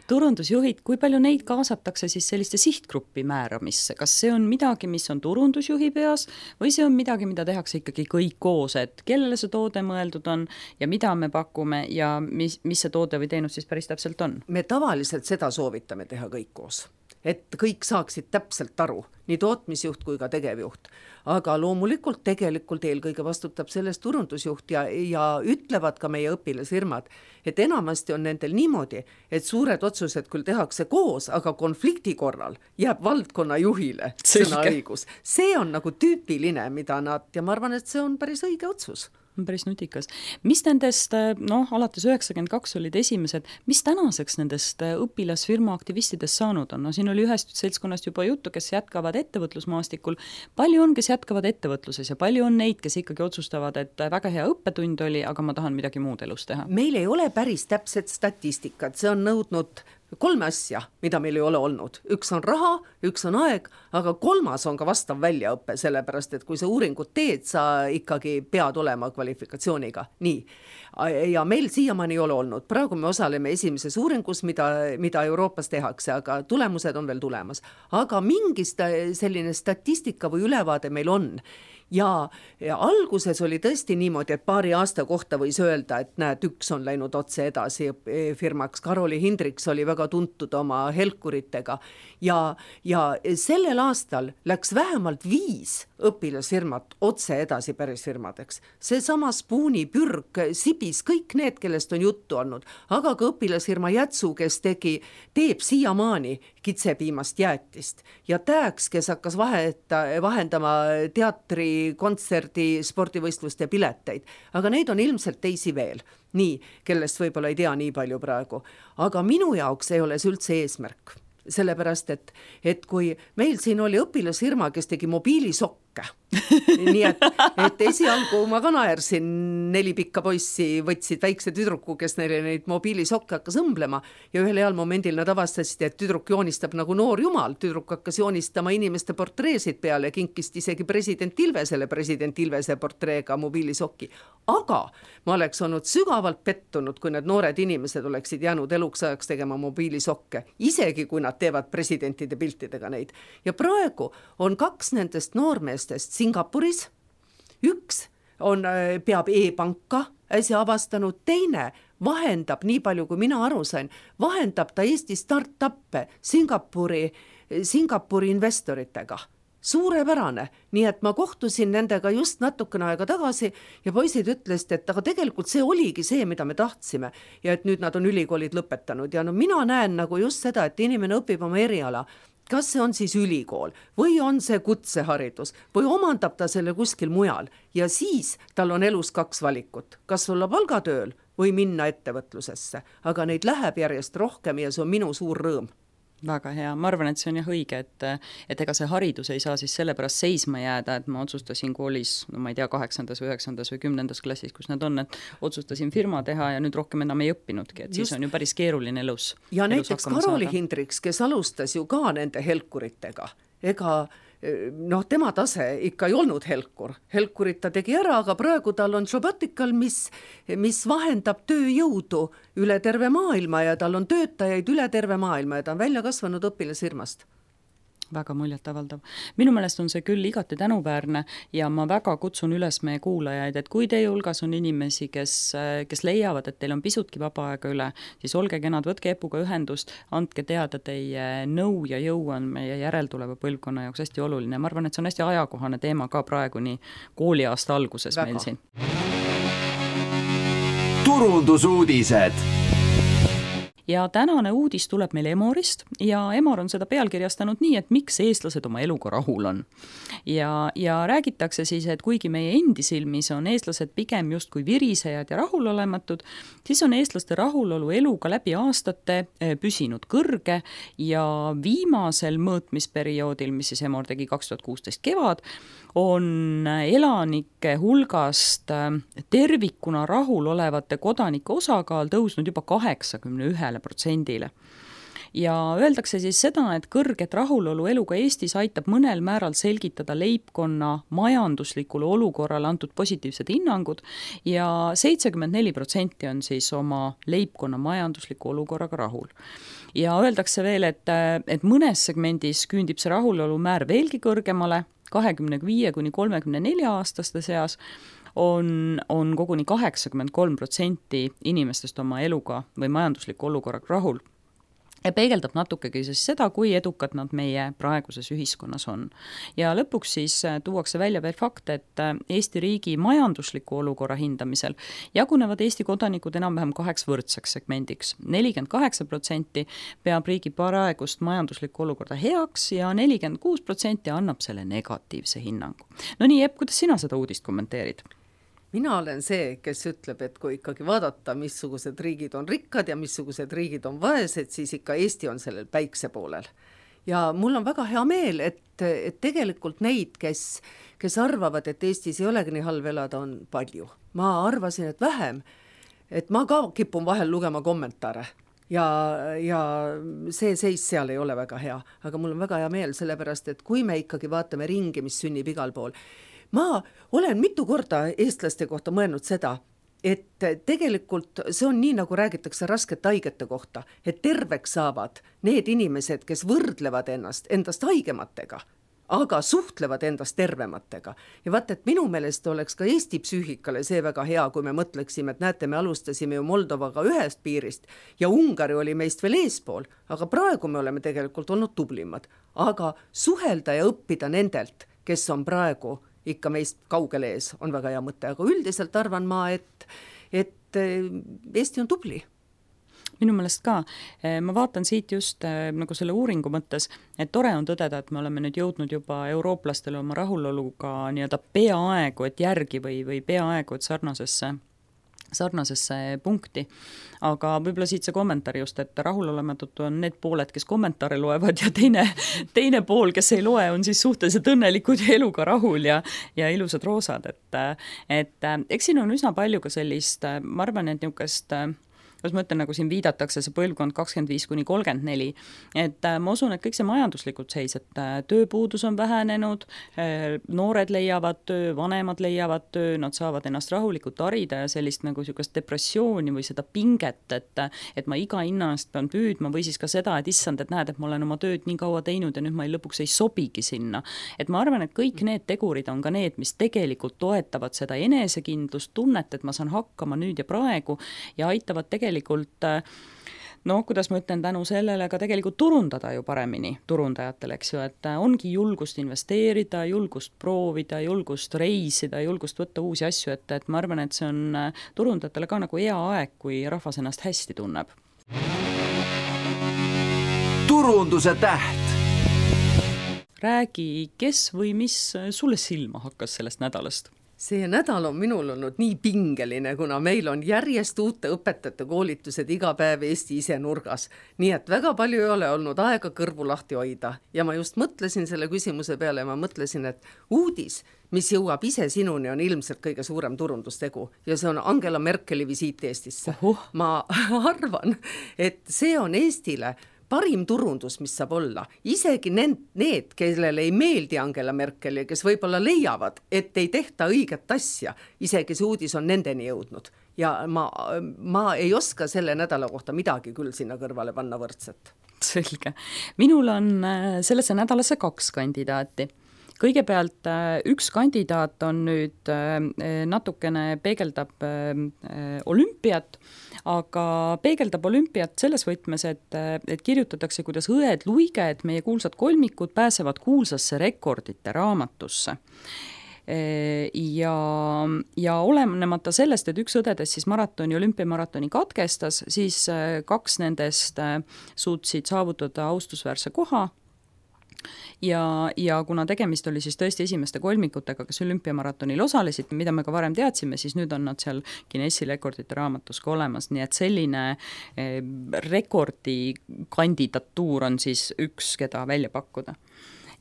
Turundusjuhid, kui palju neid kaasatakse siis selliste sihtgruppi määramisse? Kas see on midagi, mis on turundusjuhi peas või see on midagi, mida tehakse ikkagi kõik koos, et kellele see toode mõeldud on ja mida me pakume ja mis see toode või teenus siis päris täpselt on? Me tavaliselt seda soovitame teha kõik koos, et kõik saaksid täpselt aru, nii tootmisjuht kui ka tegevjuht. Aga loomulikult tegelikult eelkõige vastutab sellest turundusjuht ja ütlevad ka meie õpilasfirmad, et enamasti on nendel niimoodi, et suured otsused küll tehakse koos, aga konflikti korral jääb valdkonna juhile sõnaõigus. See on nagu tüüpiline, mida nad, ja ma arvan, et see on päris õige otsus. Päris nutikas. Mis nendest, alates 92 olid esimesed, mis tänaseks nendest õpilasfirma aktivistidest saanud on? Siin oli ühest seltskonnast juba juttu, kes jätkavad ettevõtlusmaastikul. Palju on, kes jätkavad ettevõtluses ja palju on neid, kes ikkagi otsustavad, et väga hea õppetund oli, aga ma tahan midagi muud elus teha? Meil ei ole päris täpset statistikat, see on nõudnud 3 asja, mida meil ei ole olnud. Üks on raha, üks on aeg, aga 3. on ka vastav väljaõppe, sellepärast, et kui sa uuringut teed, sa ikkagi pead olema kvalifikatsiooniga. Nii. Ja meil siiamaani ei ole olnud. Praegu me osaleme esimeses uuringus, mida Euroopas tehakse, aga tulemused on veel tulemas. Aga mingi selline statistika või ülevaade meil on. Ja alguses oli tõesti niimoodi, et paari aasta kohta võis öelda, et näed, üks on läinud otse edasi firmaks. Karoli Hindriks oli väga tuntud oma helkuritega ja sellel aastal läks vähemalt 5 õpilasfirmat otse edasi päris firmadeks. Seesama Spooni, Pürg, Sibis, kõik need, kellest on juttu olnud, aga ka õpilasfirma Jätsu, kes teeb siiamaani kitsepiimast jäätist ja Tääks, kes hakkas vahendama teatri, kontserdi, spordivõistluste pileteid, aga neid on ilmselt teisi veel, nii, kellest võib-olla ei tea nii palju praegu, aga minu jaoks ei ole see üldse eesmärk, sellepärast, et kui meil siin oli õpilasfirma, kes tegi mobiilisokke, nii et esialgu ma ka naersin, 4 pikka poissi võtsid väikse tüdruku, kes neile neid mobiilisokke hakkas õmblema ja ühel heal momendil nad avastasid, et tüdruk joonistab nagu noor jumal, tüdruk hakkas joonistama inimeste portreesid peale, kinkist isegi president Ilvese portreega mobiilisoki, aga ma oleks olnud sügavalt pettunud, kui need noored inimesed oleksid jäänud eluks ajaks tegema mobiilisokke, isegi kui nad teevad presidentide piltidega neid. Ja praegu on 2 nendest noormeestest Singapuris, üks peab e-panka äsja avastanud, teine vahendab, nii palju kui mina aru sain, vahendab ta Eesti startuppe Singapuri investoritega. Suurepärane, nii et ma kohtusin nendega just natukene aega tagasi ja poisid ütlesid, et aga tegelikult see oligi see, mida me tahtsime ja et nüüd nad on ülikoolid lõpetanud ja mina näen nagu just seda, et inimene õpib oma eriala, kas see on siis ülikool või on see kutseharidus või omandab ta selle kuskil mujal ja siis tal on elus 2 valikut, kas olla palgatööl või minna ettevõtlusesse, aga neid läheb järjest rohkem ja see on minu suur rõõm. Väga hea, ma arvan, et see on jah õige, et ega see haridus ei saa siis sellepärast seisma jääda, et ma otsustasin koolis, ma ei tea, 8. või 9. või 10. klassis, kus nad on, et otsustasin firma teha ja nüüd rohkem enam ei õppinudki, et siis on ju päris keeruline elus. Ja näiteks Karoli Hindriks, kes alustas ju ka nende helkuritega, ega tema tase ikka ei olnud helkurit ta tegi ära, aga praegu tal on Jobotical, mis vahendab tööjõudu üle terve maailma ja tal on töötajaid üle terve maailma ja ta on välja kasvanud õpilasfirmast. Väga muljetavaldav. Minu meelest on see küll igati tänuväärne ja ma väga kutsun üles meie kuulajaid, et kui teie hulgas on inimesi, kes leiavad, et teil on pisutki vaba aega üle, siis olge kenad, võtke Epuga ühendust, andke teada, teie nõu ja jõu on meie järeltuleva põlvkonna jaoks hästi oluline. Ma arvan, et see on hästi ajakohane teema ka praegu nii kooliaasta alguses väga. Meil siin. Turundusuudised. ja tänane uudis tuleb meil Emorist ja Emor on seda pealkirjastanud nii, et miks eestlased oma eluga rahul on. Ja räägitakse siis, et kuigi meie endi silmis on eestlased pigem justkui virisejad ja rahulolematud, siis on eestlaste rahulolu eluga läbi aastate püsinud kõrge ja viimasel mõõtmisperioodil, mis siis Emor tegi 2016 kevad, on elanike hulgast tervikuna rahul olevate kodanike osakaal tõusnud juba 81%-le. Ja öeldakse siis seda, et kõrget rahulolu eluga Eestis aitab mõnel määral selgitada leibkonna majanduslikule olukorrale antud positiivsed hinnangud ja 74% on siis oma leibkonna majandusliku olukorraga rahul. Ja öeldakse veel, et mõnes segmendis küündib see rahulolu määr veelgi kõrgemale, 25–34 aastaste seas on koguni 83% inimestest oma eluga või majandusliku olukorraga rahul. Ja peegeldab natukegi siis seda, kui edukad nad meie praeguses ühiskonnas on. Ja lõpuks siis tuuakse välja veel fakt, et Eesti riigi majandusliku olukorra hindamisel jagunevad Eesti kodanikud enam-vähem 2 võrdseks segmendiks. 48% peab riigi praegust majanduslikku olukorda heaks ja 46% annab selle negatiivse hinnangu. No nii, Epp, kuidas sina seda uudist kommenteerid? Mina olen see, kes ütleb, et kui ikkagi vaadata, missugused riigid on rikkad ja missugused riigid on vaesed, siis ikka Eesti on sellel päikse poolel. Ja mul on väga hea meel, et tegelikult neid, kes arvavad, et Eestis ei olegi nii halb elada, on palju. Ma arvasin, et vähem, et ma ka kipun vahel lugema kommentaare. Ja see seis seal ei ole väga hea, aga mul on väga hea meel sellepärast, et kui me ikkagi vaatame ringi, mis sünnib igal pool, ma olen mitu korda eestlaste kohta mõelnud seda, et tegelikult see on nii, nagu räägitakse raskete haigete kohta, et terveks saavad need inimesed, kes võrdlevad endast haigematega, aga suhtlevad endast tervematega. Ja vaata, et minu meelest oleks ka Eesti psüühikale see väga hea, kui me mõtleksime, et näete, me alustasime ju Moldovaga ühest piirist ja Ungari oli meist veel eespool, aga praegu me oleme tegelikult olnud tublimad. Aga suhelda ja õppida nendelt, kes on praegu ikka meist kaugel ees, on väga hea mõte, aga üldiselt arvan ma, et Eesti on tubli. Minu meelest ka. Ma vaatan siit just nagu selle uuringu mõttes, et tore on tõdeda, et me oleme nüüd jõudnud juba eurooplastele oma rahuloluga nii-öelda peaaegu, et järgi või peaaegu, et sarnasesse punkti. Aga võib-olla siit see kommentaar just, et rahulolematud on need pooled, kes kommentaare loevad ja teine pool, kes ei loe, on siis suhteliselt õnnelikud ja eluga rahul ja ilusad roosad. Et eks siin on üsna palju ka sellist, ma arvan, et niisugust kas ma ütlen, nagu siin viidatakse see põlvkond 25–34, et ma usun, et kõik see majanduslikult seis, et tööpuudus on vähenenud, noored leiavad töö, vanemad leiavad töö, nad saavad ennast rahulikult harida ja sellist nagu niisugust depressiooni või seda pinget, et ma iga hinna eest pean püüdma või siis ka seda, et issand, et näed, et ma olen oma tööd nii kaua teinud ja nüüd ma lõpuks ei sobigi sinna. Et ma arvan, et kõik need tegurid on ka need, mis tegelikult toetavad seda enesekindlust, tunnet, et ma saan hakkama nüüd ja praegu ja aitavad tegelikult kuidas ma ütlen, tänu sellele ka tegelikult turundada ju paremini turundajatel, eks ju, et ongi julgust investeerida, julgust proovida, julgust reisida, julgust võtta uusi asju, et ma arvan, et see on turundajatele ka nagu hea aeg, kui rahvas ennast hästi tunneb. Turunduse täht. Räägi, kes või mis sulle silma hakkas sellest nädalast? See nädal on minul olnud nii pingeline, kuna meil on järjest uute õpetajate koolitused iga päev Eesti ise nurgas. Nii et väga palju ei ole olnud aega kõrvu lahti hoida. Ja ma just mõtlesin selle küsimuse peale, ma mõtlesin, et uudis, mis jõuab ise sinuni, on ilmselt kõige suurem turundustegu. Ja see on Angela Merkeli visiit Eestisse. Ma arvan, et see on Eestile parim turundus, mis saab olla. Isegi need, kellele ei meeldi Angela Merkel ja kes võib-olla leiavad, et ei tehta õiget asja, isegi see uudis on nendeni jõudnud. Ja ma ei oska selle nädala kohta midagi küll sinna kõrvale panna võrdset. Selge. Minul on sellesse nädalasse 2 kandidaati. Kõigepealt üks kandidaat on nüüd natukene peegeldab olümpiat, aga peegeldab olümpiat selles võtmes, et kirjutatakse, kuidas õed Luige, et meie kuulsad kolmikud pääsevad kuulsasse rekordite raamatusse. ja olenemata sellest, et üks õdedest siis olümpiamaratoni katkestas, siis 2 nendest suutsid saavutada austusväärse koha ja kuna tegemist oli siis tõesti esimeste kolmikutega, kes olümpiamaratonil osalesid, mida me ka varem teadsime, siis nüüd on nad seal Guinessi rekordite raamatus ka olemas, nii et selline rekordi kandidatuur on siis üks, keda välja pakkuda.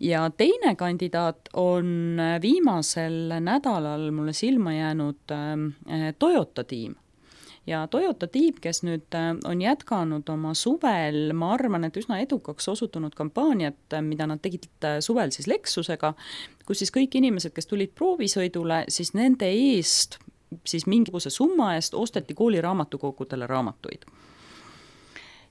Ja teine kandidaat on viimasel nädalal mulle silma jäänud Toyota tiim. Ja Toyota tiim, kes nüüd on jätkanud oma suvel, ma arvan, et üsna edukaks osutunud kampaaniat, mida nad tegid suvel siis Lexusega, kus siis kõik inimesed, kes tulid proovisõidule, siis nende eest, siis mingisuguse summa eest osteti kooli raamatukogudele raamatuid.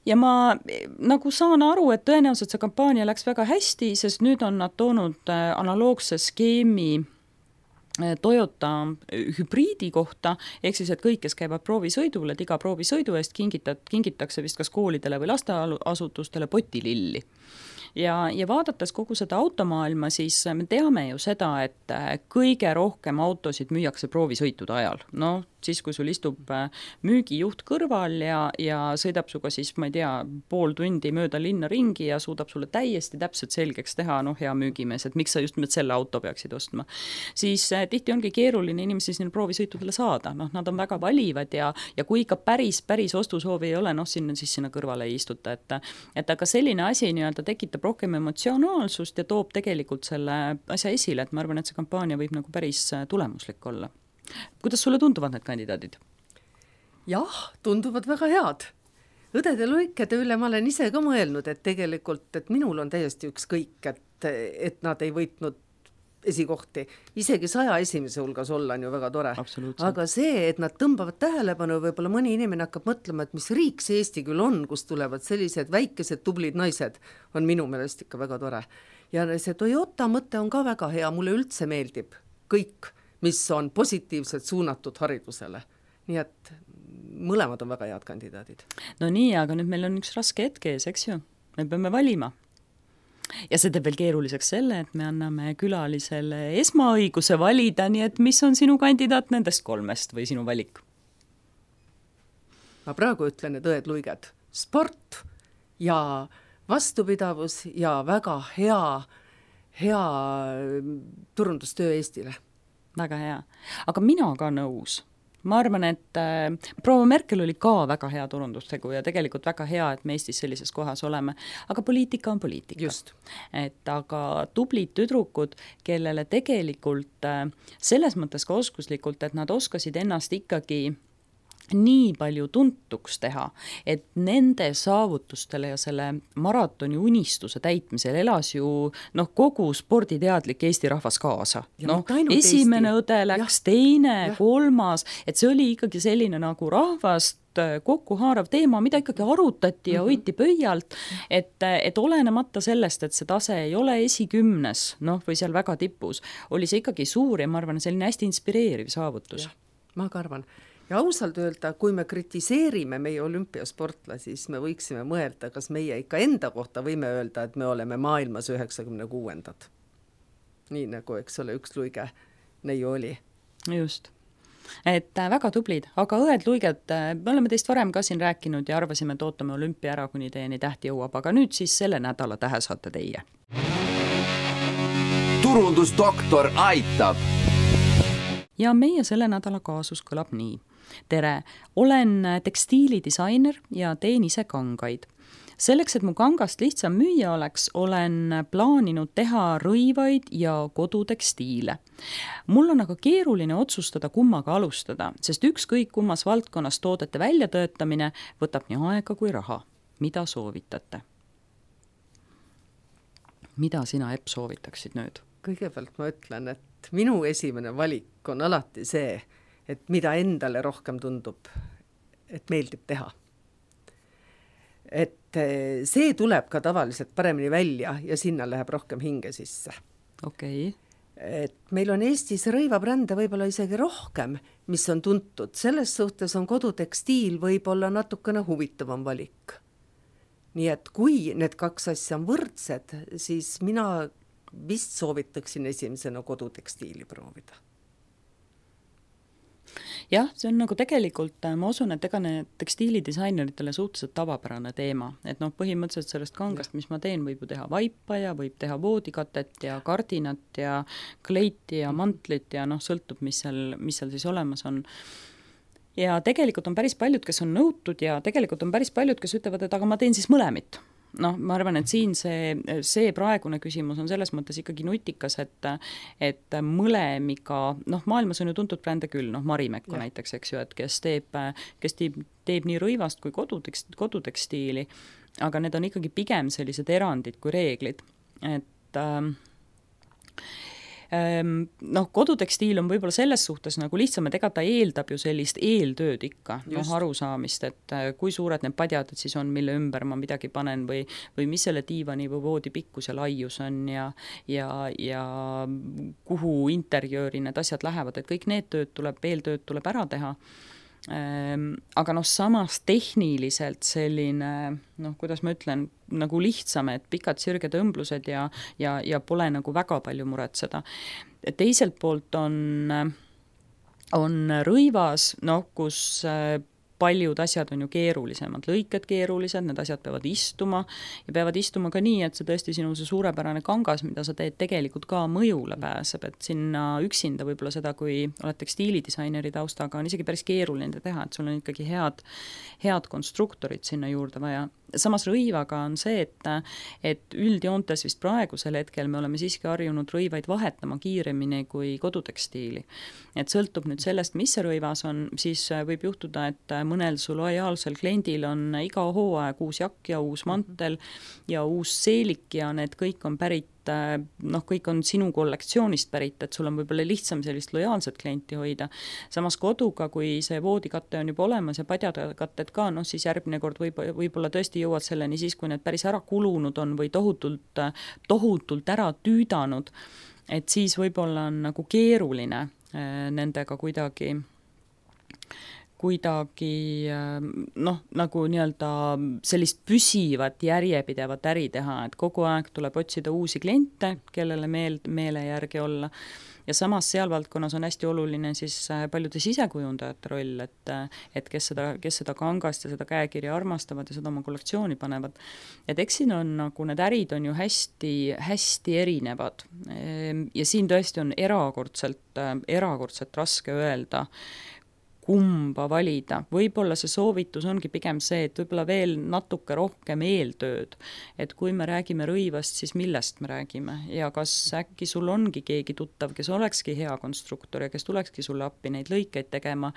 Ja ma nagu saan aru, et tõenäoliselt see kampaania läks väga hästi, sest nüüd on nad toonud analoogse skeemi Toyota hübriidi kohta, ehk siis, et kõik, kes käivad proovisõidul, et iga proovisõidu eest kingitakse vist kas koolidele või lasteasutustele potililli. Ja vaadates kogu seda automaailma, siis me teame ju seda, et kõige rohkem autosid müüakse proovisõitude ajal. No, siis kui sul istub müügijuht kõrval ja sõidab suga siis, ma ei tea, pool tundi mööda linna ringi ja suudab sulle täiesti täpselt selgeks teha, hea müügimees, et miks sa just selle auto peaksid ostma. Siis tihti ongi keeruline inimesi sinna proovisõitudele saada, nad on väga valivad ja kui ikka päris ostusoovi ei ole, sinna kõrvale ei istuta, et aga selline asi nii-öelda tekitab rohkem emotsionaalsust ja toob tegelikult selle asja esile, et ma arvan, et see kampaania võib nagu päris tulemuslik olla. Kuidas sulle tunduvad need kandidaadid? Jah, tunduvad väga head. Õdede lõikede üle ma olen ise ka mõelnud, et tegelikult, et minul on täiesti ükskõik, et nad ei võitnud esikohti. Isegi 100 esimese hulgas olla on ju väga tore. Aga see, et nad tõmbavad tähelepanu, võib-olla mõni inimene hakkab mõtlema, et mis riik see Eesti küll on, kus tulevad sellised väikesed tublid naised, on minu meelest ikka väga tore. Ja see Toyota mõte on ka väga hea, mulle üldse meeldib kõik, mis on positiivselt suunatud haridusele. Nii et mõlemad on väga head kandidaadid. No nii, aga nüüd meil on üks raske hetk ees, eks ju? Me peame valima. Ja see teeb veel keeruliseks selle, et me anname külalisele esmaõiguse valida, nii et mis on sinu kandidaat nendest 3 või sinu valik? Ma praegu ütlen, et õed luiged. Sport ja vastupidavus ja väga hea turundustöö Eestile. Väga hea. Aga mina ka nõus. Ma arvan, et proua Merkel oli ka väga hea turundustegu ja tegelikult väga hea, et me Eestis sellises kohas oleme. Aga poliitika on poliitika. Just. Et aga tublid tüdrukud, kellele tegelikult selles mõttes ka oskuslikult, et nad oskasid ennast ikkagi nii palju tuntuks teha, et nende saavutustele ja selle maratoni unistuse täitmisel elas ju kogu sporditeadlik Eesti rahvas kaasa. Esimene õde läks, teine, 3, et see oli ikkagi selline nagu rahvast kokkuhaarav teema, mida ikkagi arutati ja hoiti pöialt, et olenemata sellest, et see tase ei ole esikümnes, või seal väga tipus, oli see ikkagi suur ja ma arvan, selline hästi inspireeriv saavutus. Ma ka arvan. Ja ausalt öelda, kui me kritiseerime meie olümpiasportlasi, siis me võiksime mõelda, kas meie ikka enda kohta võime öelda, et me oleme maailmas 96. Nii nagu, eks ole, üks luige neiu oli. Just. Et väga tublid, aga õed luiged, me oleme teist varem ka siin rääkinud ja arvasime, et ootame olümpia ära, kuni teieni tähti jõuab, aga nüüd siis selle nädala tähe saate teie. Turundusdoktor aitab! Ja meie selle nädala kaasus kõlab nii. Tere, olen tekstiilidisainer ja teen ise kangaid. Selleks, et mu kangast lihtsam müüa oleks, olen plaaninud teha rõivaid ja kodutekstiile. Mul on aga keeruline otsustada, kummaga alustada, sest ükskõik kummas valdkonnas toodete väljatöötamine võtab nii aega kui raha. Mida soovitate? Mida sina, Epp, soovitaksid nüüd? Kõigepealt ma ütlen, et minu esimene valik on alati see, et mida endale rohkem tundub, et meeldib teha. Et see tuleb ka tavaliselt paremini välja ja sinna läheb rohkem hinge sisse. Okei. Et meil on Eestis rõivabrände võib-olla isegi rohkem, mis on tuntud. Selles suhtes on kodutekstiil võib-olla natukene huvitavam valik. Nii et kui need 2 asja on võrdsed, siis mina vist soovitaksin esimesena kodutekstiili proovida. Jah, see on nagu tegelikult, ma usun, et ega need tekstiilidisaineritele suhteliselt tavapärane teema, et noh, põhimõtteliselt sellest kangast, mis ma teen, võib ju teha vaipa ja võib teha voodikatet ja kardinat ja kleiti ja mantlit ja noh, sõltub, mis seal siis olemas on. Ja tegelikult on päris paljud, kes on nõutud ja tegelikult on päris paljud, kes ütlevad, et aga ma teen siis mõlemit. Noh, ma arvan, et siin see praegune küsimus on selles mõttes ikkagi nutikas, et mõlemiga, noh, maailmas on ju tuntud brände küll, noh, Marimekko näiteks, eks ju, et kes teeb nii rõivast kui kodutekstiili, aga need on ikkagi pigem sellised erandid kui reeglid, et noh, kodutekstiil on võib-olla selles suhtes nagu lihtsam, et ega ta eeldab ju sellist eeltööd ikka, noh, arusaamist, et kui suured need padjad siis on, mille ümber ma midagi panen või mis selle diivani või voodi pikkus ja laius on ja kuhu interjööri need asjad lähevad, et kõik need eeltööd tuleb ära teha. Aga noh, samas tehniliselt selline, noh, kuidas ma ütlen, nagu lihtsam, et pikad sirged õmblused ja pole nagu väga palju muretseda. Teiselt poolt on rõivas, noh, kus paljud asjad on ju keerulisemad, lõiked keerulised, need asjad peavad istuma ja peavad istuma ka nii, et see tõesti sinu see suurepärane kangas, mida sa teed, tegelikult ka mõjule pääseb, et sinna üksinda võib-olla seda, kui oled tekstiilidisaineeri taustaga, on isegi päris keeruline teha, et sul on ikkagi head konstruktorid sinna juurde vaja. Samas rõivaga on see, et üldjoontes vist praegusel hetkel me oleme siiski harjunud rõivaid vahetama kiiremini kui kodutekstiili. Et sõltub nüüd sellest, mis see rõivas on, siis võib juhtuda, et mõnel su lojaalsel kliendil on iga hooaeg uus jakk ja uus mantel ja uus seelik ja need kõik on pärit, noh, kõik on sinu kollektsioonist pärit, et sul on võib-olla lihtsam sellist lojaalset klienti hoida. Samas koduga, kui see voodikatte on juba olemas ja padjakatted ka, noh, siis järgmine kord võib-olla tõesti jõuad selleni siis, kui need päris ära kulunud on või tohutult ära tüüdanud, et siis võib-olla on nagu keeruline nendega kuidagi noh, nagu nii-öelda sellist püsivat järjepidevat äri teha, et kogu aeg tuleb otsida uusi kliente, kellele meele järgi olla. Ja samas seal valdkonnas on hästi oluline siis paljude sisekujundajate roll, et kes seda kangast ja seda käekirja armastavad ja seda oma kollektsiooni panevad. Et eks siin on nagu need ärid on ju hästi erinevad ja siin tõesti on erakordselt raske öelda, kumba valida. Võib-olla see soovitus ongi pigem see, et võib-olla veel natuke rohkem eeltööd, et kui me räägime rõivast, siis millest me räägime ja kas äkki sul ongi keegi tuttav, kes olekski hea konstruktor ja kes tulekski sulle appi neid lõikeid tegema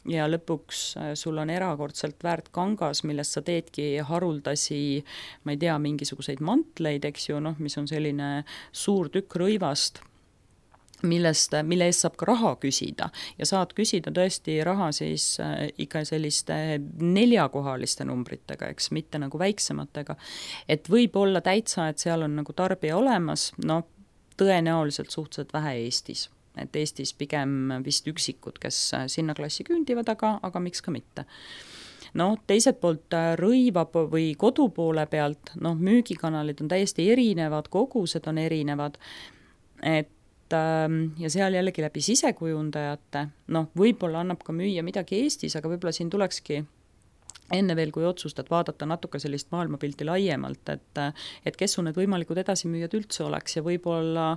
ja lõpuks sul on erakordselt väärt kangas, millest sa teedki haruldasi, ma ei tea, mingisuguseid mantleid, eks ju, noh, mis on selline suur tükk rõivast, mille eest saab ka raha küsida ja saad küsida tõesti raha siis ikka selliste 4-kohaliste numbritega, eks, mitte nagu väiksematega. Et võib olla täitsa, et seal on nagu tarbija olemas, no tõenäoliselt suhteliselt vähe Eestis. Et Eestis pigem vist üksikud, kes sinna klassi küündivad, aga miks ka mitte. No teiselt poolt rõiva või kodu poole pealt, noh, müügikanalid on täiesti erinevad, kogused on erinevad, ja seal jällegi läbi sisekujundajate, noh, võib-olla annab ka müüa midagi Eestis, aga võib-olla siin tulekski enne veel, kui otsustad vaadata natuke sellist maailmapilti laiemalt, et kes su need võimalikud edasimüüjad üldse oleks ja võib-olla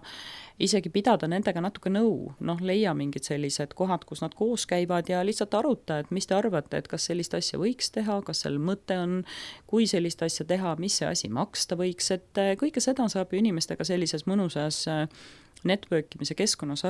isegi pidada nendega natuke nõu, noh, leia mingid sellised kohad, kus nad koos käivad ja lihtsalt aruta, et mis te arvate, et kas sellist asja võiks teha, kas seal mõte on, kui sellist asja teha, mis see asi maksta võiks, et kõike seda saab ju inimestega sellises mõnusas networkimise keskkonnas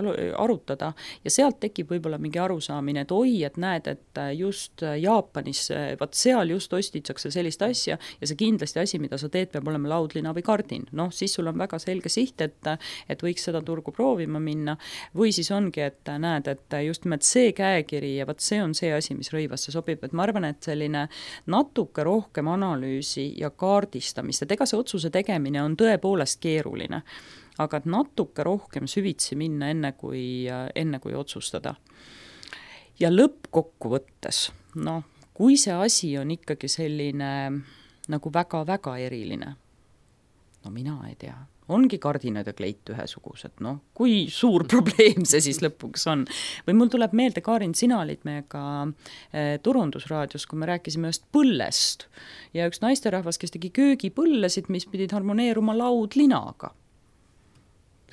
arutada ja sealt tekib võib-olla mingi arusaamine, et oi, et näed, et just Jaapanis, vaat seal just ostitsakse sellist asja ja see kindlasti asi, mida sa teed, peab olema laudlina või kardin. Noh, siis sul on väga selge siht, et võiks seda turgu proovima minna või siis ongi, et näed, et just nimelt see käekiri ja vaat see on see asi, mis rõivasse sobib, et ma arvan, et selline natuke rohkem analüüsi ja kaardistamist, et ega see otsuse tegemine on tõepoolest keeruline, aga et natuke rohkem süvitsi minna enne kui otsustada. Ja lõppkokkuvõttes, noh, kui see asi on ikkagi selline nagu väga-väga eriline, no mina ei tea, ongi kardinad ja kleit ühesugused, noh, kui suur probleem see siis lõpuks on. Või mul tuleb meelde, Kaarin, sina olid meiega turundusraadios, kui me rääkisime ühest põllest ja üks naisterahvas, kes tegi köögipõllesid, mis pidid harmoneeruma laudlinaga.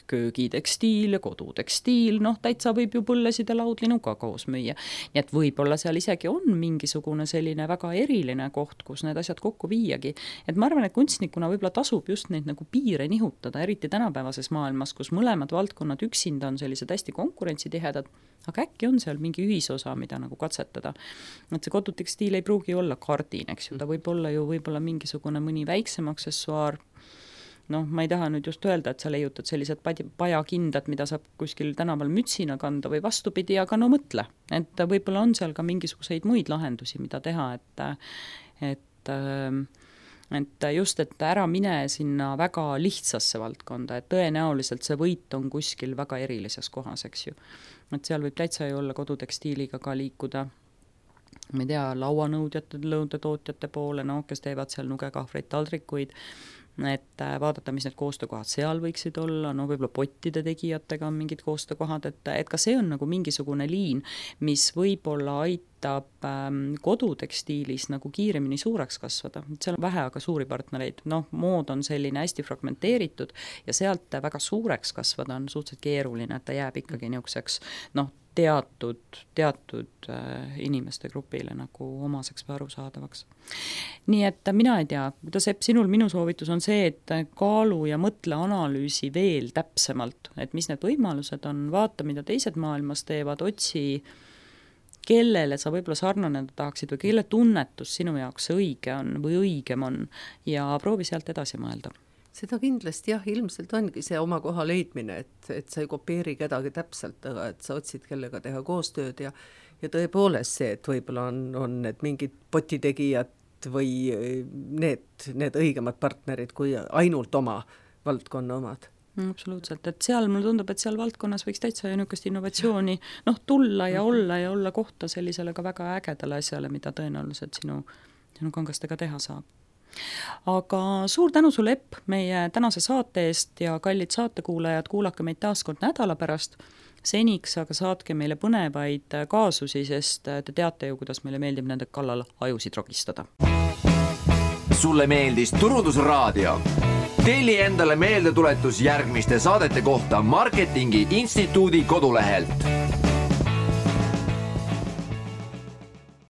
Köögitekstiil ja kodutekstiil, noh, täitsa võib ju põllesid ja laudlinuga koos müüa. Nii et võib-olla seal isegi on mingisugune selline väga eriline koht, kus need asjad kokku viiagi. Et ma arvan, et kunstnikuna võib-olla tasub just neid nagu piire nihutada, eriti tänapäevases maailmas, kus mõlemad valdkonnad üksinda on sellised hästi konkurentsitihedad, aga äkki on seal mingi ühisosa, mida nagu katsetada. Et see kodutekstiil ei pruugi olla kardin, eks ju, ta võib olla ju võib-olla mingisugune mõni väiksem aksessuaar. Noh, ma ei taha nüüd just öelda, et sa leiutad sellised pajakindad, mida saab kuskil tänaval mütsina kanda või vastupidi, aga no mõtle, et võib-olla on seal ka mingisuguseid muid lahendusi, mida teha, et just, et ära mine sinna väga lihtsasse valdkonda, et tõenäoliselt see võit on kuskil väga erilises kohas, eks ju. Et seal võib täitsa ju olla kodutekstiiliga ka liikuda, ma ei tea, lauanõudjate, lõudetootjate poole, no, kes teevad seal nugekahvreid, taldrikuid, et vaadata, mis need koostöökohad seal võiksid olla, no võib-olla pottide tegijatega on mingid koostöökohad, et ka see on nagu mingisugune liin, mis võib-olla aitab kodutekstiilis nagu kiiremini suureks kasvada. Seal on vähe aga suuri partnereid, noh, mood on selline hästi fragmenteeritud ja sealt väga suureks kasvada on suhteliselt keeruline, et ta jääb ikkagi niisuguseks, noh, teatud inimeste grupile nagu omaseks või arusaadavaks. Nii et mina ei tea, kuidas Epp, sinul minu soovitus on see, et kaalu ja mõtle analüüsi veel täpsemalt, et mis need võimalused on, vaata, mida teised maailmas teevad, otsi, kellele sa võib-olla sarnaneda tahaksid või kelle tunnetus sinu jaoks see õige on või õigem on ja proovi sealt edasi mõelda. Seda kindlasti jah, ilmselt ongi see oma koha leidmine, et sa ei kopeeri kedagi täpselt, aga et sa otsid kellega teha koostööd ja tõepoolest see, et võib-olla on need mingid potitegijad või need õigemad partnerid kui ainult oma valdkonna omad. Absoluutselt, et seal mulle tundub, et seal valdkonnas võiks täitsa niisugust innovatsiooni tulla ja olla kohta sellisele ka väga ägedale asjale, mida tõenäoliselt sinu kangastega teha saab. Aga suur tänu sulle, Epp, meie tänase saate eest ja kallid saatekuulajad, kuulake meid taas kord nädala pärast. Seniks aga saatke meile põnevaid kaasusi, sest te teate ju, kuidas meile meeldib nende kallal ajusid rogistada. Sulle meeldis Turundusraadio? Telli endale meeldetuletus järgmiste saadete kohta Marketingi Instituudi kodulehelt.